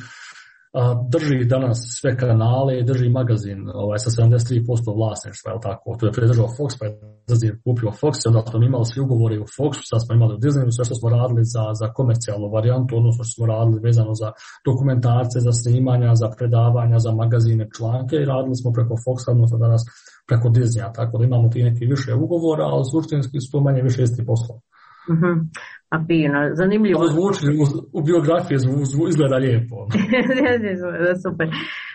drži danas sve kanale, drži magazin sa 73% vlasništva, je tako? To je predržao Fox, pa je Disney kupio Fox, onda smo imali svi ugovori u Foxu, sad smo imali u Disneyu, sve što smo radili za komercijalnu varijantu, odnosno što smo radili vezano za dokumentarce, za snimanja, za predavanja, za magazine, članke i radili smo preko Foxa, odnosno danas preko Disneya, tako da imamo ti neki više ugovora, ali suštinski su to manje više isti poslova. A fino, zanimljivo. Zvuči u biografiji izgleda lijepo. Super.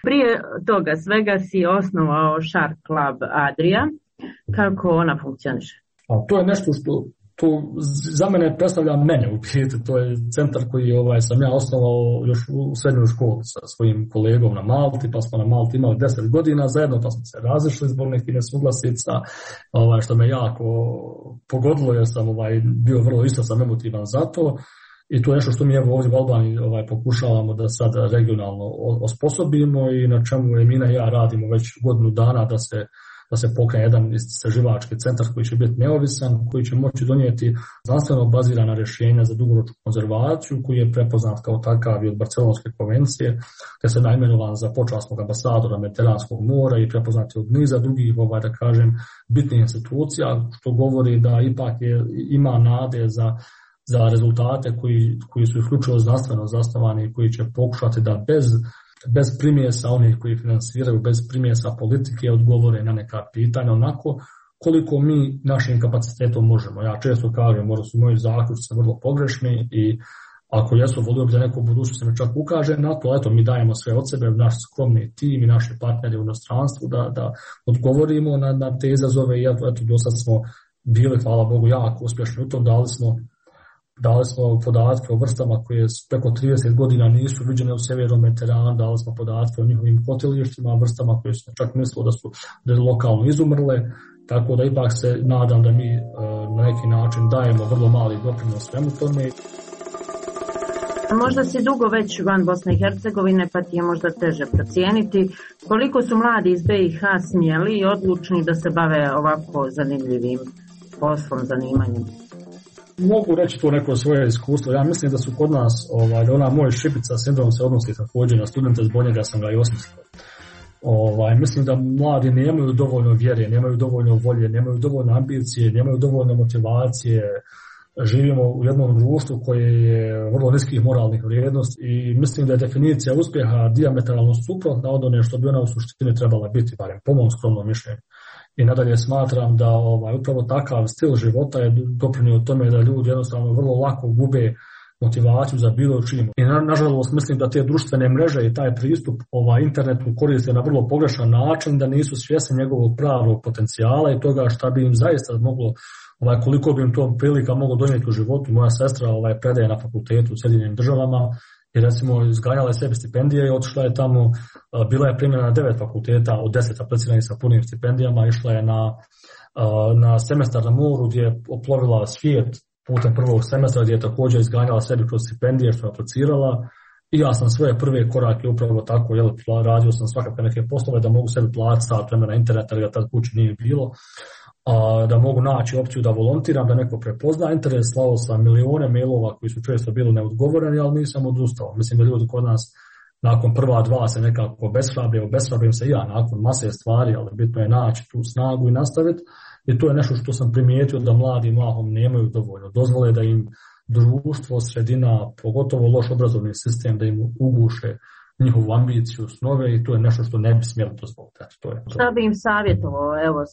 Prije toga svega si osnovao Shark Club Adria. Kako ona funkcioniše? To je nešto što za mene predstavlja mene u biti. To je centar koji sam ja osnovao još u srednjoj školi sa svojim kolegom na Malti, pa smo na Malti imali 10 godina zajedno, pa smo se razišli zbog nekih nesuglasica, što me jako pogodilo jer sam bio vrlo isto sam emotivan za to. I to je nešto što mi ovdje u Albaniji pokušavamo da sad regionalno osposobimo i na čemu Emina i ja radimo već godinu dana da se pokrene jedan istraživački centar koji će biti neovisan, koji će moći donijeti znanstveno bazirana rješenja za dugoročnu konzervaciju, koji je prepoznat kao takav i od Barcelonske konvencije, te se naimenovan za počasnog ambasadora Mediteranskog mora i prepoznat je od niza drugih, da kažem, bitnih institucija, što govori da ipak ima nade za rezultate koji su isključivo znanstveno zasnovani i koji će pokušati da bez primjesa onih koji finansiraju, bez primjesa politike odgovore na neka pitanja onako koliko mi našim kapacitetom možemo. Ja često kažem, možda su moji zaključci vrlo pogrešni i ako jesu, volio bi da neko u budućnosti me čak ukaže na to, eto mi dajemo sve od sebe, naš skromni tim i naši partneri u inostranstvu da odgovorimo na te izazove i eto do sad smo bili, hvala Bogu, jako uspješni u tom, dali smo podatke o vrstama koje preko 30 godina nisu viđene u sjevernom Mediteranu, dali smo podatke o njihovim kotilištima, vrstama koje su čak mislili da su lokalno izumrle, tako da ipak se nadam da mi na neki način dajemo vrlo mali doprinos svemu tome. Možda si dugo već van Bosne i Hercegovine, pa ti je možda teže procijeniti koliko su mladi iz BiH smjeli i odlučni da se bave ovako zanimljivim poslom, zanimanjem. Mogu reći to neko svoje iskustvo. Ja mislim da su kod nas, ona moj šibica sindrom se odnosi također na studente, zbog njega sam ga i osmislio. Mislim da mladi nemaju dovoljno vjere, nemaju dovoljno volje, nemaju dovoljno ambicije, nemaju dovoljno motivacije. Živimo u jednom društvu koje je vrlo niskih moralnih vrijednosti i mislim da je definicija uspjeha dijametralno suprotna od one što bi ona u suštini trebala biti, barem po mom skromnom mišljenju. I nadalje smatram da upravo takav stil života je doprinio tome da ljudi jednostavno vrlo lako gube motivaciju za bilo čim. I nažalost mislim da te društvene mreže i taj pristup internetu koriste na vrlo pogrešan način, da nisu svjesni njegovog pravog potencijala i toga šta bi im zaista moglo, koliko bi im to prilika moglo donijeti u životu. Moja sestra predaje na fakultetu u Sjedinjenim Državama i recimo izganjala je sebi stipendije i otišla je tamo, bila je primljena na 9 fakulteta od 10 apliciranih sa punim stipendijama, išla je na semestar na moru gdje je oplovila svijet putem prvog semestra gdje je također izganjala sebi kroz stipendije što je aplicirala i ja sam svoje prve korake upravo tako, radio sam svakako neke poslove da mogu sebi platiti sat vremena interneta jer ga tad kući nije bilo, da mogu naći opciju da volontiram, da neko prepozna interes, slao sam milijone mailova koji su često bili neodgovoreni, ali nisam odustao. Mislim da ljudi kod nas nakon prva dva se nekako obeshrabrim se ja nakon mase stvari, ali bitno je naći tu snagu i nastaviti. I to je nešto što sam primijetio da mladi mahom nemaju dovoljno. Dozvole da im društvo, sredina, pogotovo loš obrazovni sistem, da im uguše njihovu ambiciju, snove i to je nešto što ne bi smjeli dozvoliti. Šta bi im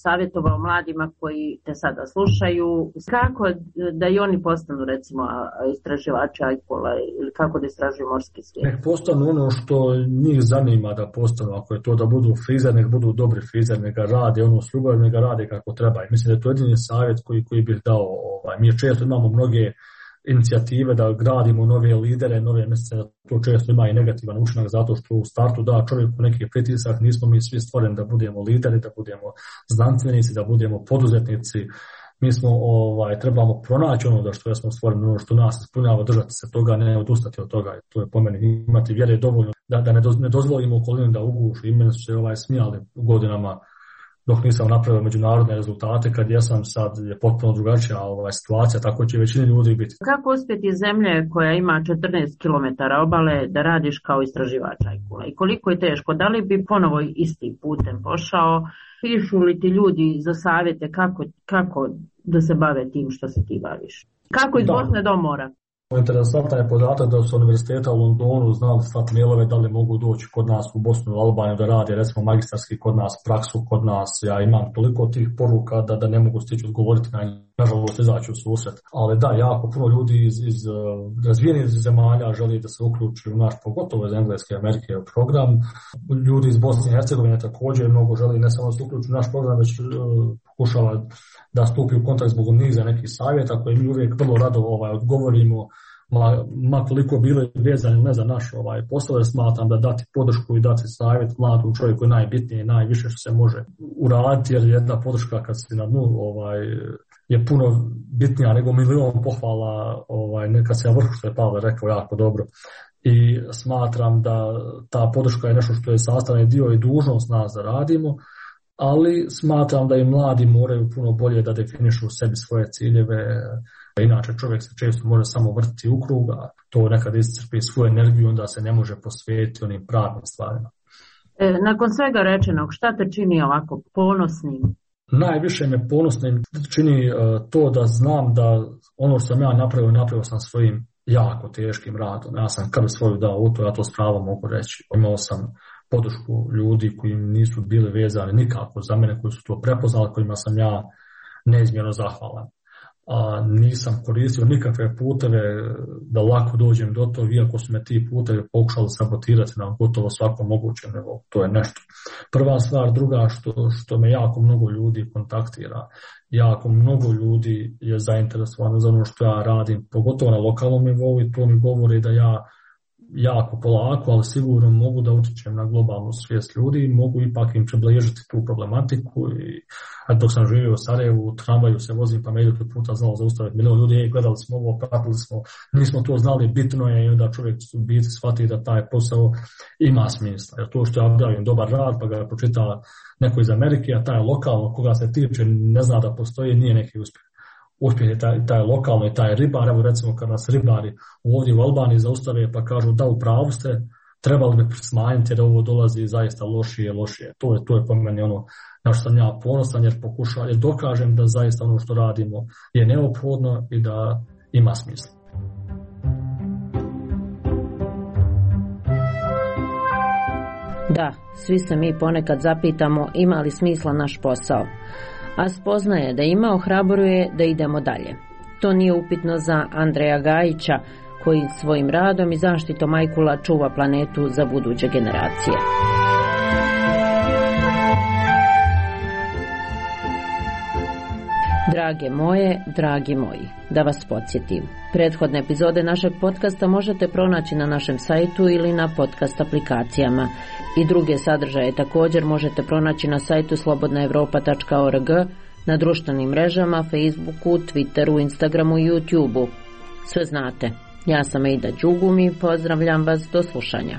savjetovao mladima koji te sada slušaju, kako da i oni postanu recimo istraživači ajkula ili kako da istražuju morski svijet? Nek postanu ono što njih zanima da postanu, ako je to da budu frizer, nek budu dobri frizer, nek ga rade, ono s ljubavlju, nek ga rade kako treba. I mislim da je to jedini savjet koji bih dao. Mi često imamo mnoge inicijative da gradimo nove lidere, nove mjesece, to često ima i negativan učinak zato što u startu da čovjeku neki pritisak, nismo mi svi stvoreni da budemo lideri, da budemo znanstvenici, da budemo poduzetnici. Mi smo trebamo pronaći ono da što smo stvoreni, ono što nas ispunjava, držati se toga, ne odustati od toga. To je po meni imati vjere dovoljno da ne dozvolimo okolinu da ugušu. I meni su se smijali godinama dok nisam napravio međunarodne rezultate, kad jesam sad je potpuno drugačija situacija, tako će većini ljudi biti. Kako uspjeti zemlje koja ima 14 km obale da radiš kao istraživač ajkula i koliko je teško? Da li bi ponovo istim putem pošao? Pišu li ti ljudi za savjete kako da se bave tim što se ti baviš? Kako iz Bosne do mora? Interesantan je podatak da su univerziteta u Londonu znali slati mailove da li mogu doći kod nas u Bosnu i Albaniju da radi recimo magistarski kod nas, praksu kod nas. Ja imam toliko tih poruka da ne mogu stići odgovoriti na njih, nažalost izaći u susret. Ali da, jako puno ljudi iz razvijenih zemalja želi da se uključi u naš, pogotovo iz Engleske i Amerike program. Ljudi iz Bosne i Hercegovine također mnogo želi ne samo da se uključi u naš program, već pokušava da stupi u kontakt zbog niza nekih savjeta koje mi uvijek vrlo rado odgovorimo, ma koliko bili vezani ne za naš posao, smatram da dati podršku i dati savjet mladom čovjeku je najbitnije, najviše što se može uraditi, jer jedna podrška kad si na dnu je puno bitnija nego milion pohvala, kad se na vrhu, što je Pavle rekao jako dobro. I smatram da ta podrška je nešto što je sastavni dio i dužnost nas da radimo, ali smatram da i mladi moraju puno bolje da definišu u sebi svoje ciljeve. Inače čovjek se često može samo vrtiti u krug, a to nekad iscrpi svoju energiju, onda se ne može posvetiti onim pravim stvarima. Nakon svega rečenog, šta te čini ovako ponosnim? Najviše me ponosnim čini to da znam da ono što sam ja napravio sam svojim jako teškim radom. Ja sam krv svoju dao u to, ja to s pravom mogu reći. Imao sam podršku ljudi koji nisu bili vezani nikako za mene, koji su to prepoznali, kojima sam ja neizmjerno zahvalan. Nisam koristio nikakve puteve da lako dođem do toga, iako su me ti putevi pokušali sabotirati na gotovo svakom mogućem nivou. To je nešto. Prva stvar, druga što me jako mnogo ljudi kontaktira, jako mnogo ljudi je zainteresovano za ono što ja radim, pogotovo na lokalnom nivou, i to mi govori da ja jako polako, ali sigurno mogu da utječem na globalnu svijest ljudi, mogu ipak im približiti tu problematiku. I dok sam živio u Sarajevu, u tramvaju se vozim, pa me idu puta znalo zaustaviti milion ljudi, gledali smo ovo, pratili smo, nismo to znali, bitno je, i onda čovjek u biti shvati da taj posao ima smisla. Jer to što ja objavim dobar rad, pa ga pročita neko iz Amerike, a taj lokalno koga se tiče ne zna da postoji, nije neki uspjeh. Uspjeh je taj lokalno i taj ribar. Evo recimo kad nas ribari ovdje u Albaniji zaustave pa kažu da u pravu ste, trebali bi smanjiti jer ovo dolazi zaista lošije. To je po meni ono na što sam ja ponosan jer dokažem da zaista ono što radimo je neophodno i da ima smisla. Da, svi se mi ponekad zapitamo ima li smisla naš posao, a spoznaje da ima ohrabruje da idemo dalje. To nije upitno za Andreja Gajića, koji svojim radom i zaštitom ajkula čuva planetu za buduće generacije. Drage moje, dragi moji, da vas podsjetim. Prethodne epizode našeg podcasta možete pronaći na našem sajtu ili na podcast aplikacijama. I druge sadržaje također možete pronaći na sajtu slobodnaevropa.org, na društvenim mrežama, Facebooku, Twitteru, Instagramu i YouTubeu. Sve znate. Ja sam Eida Đugum i pozdravljam vas do slušanja.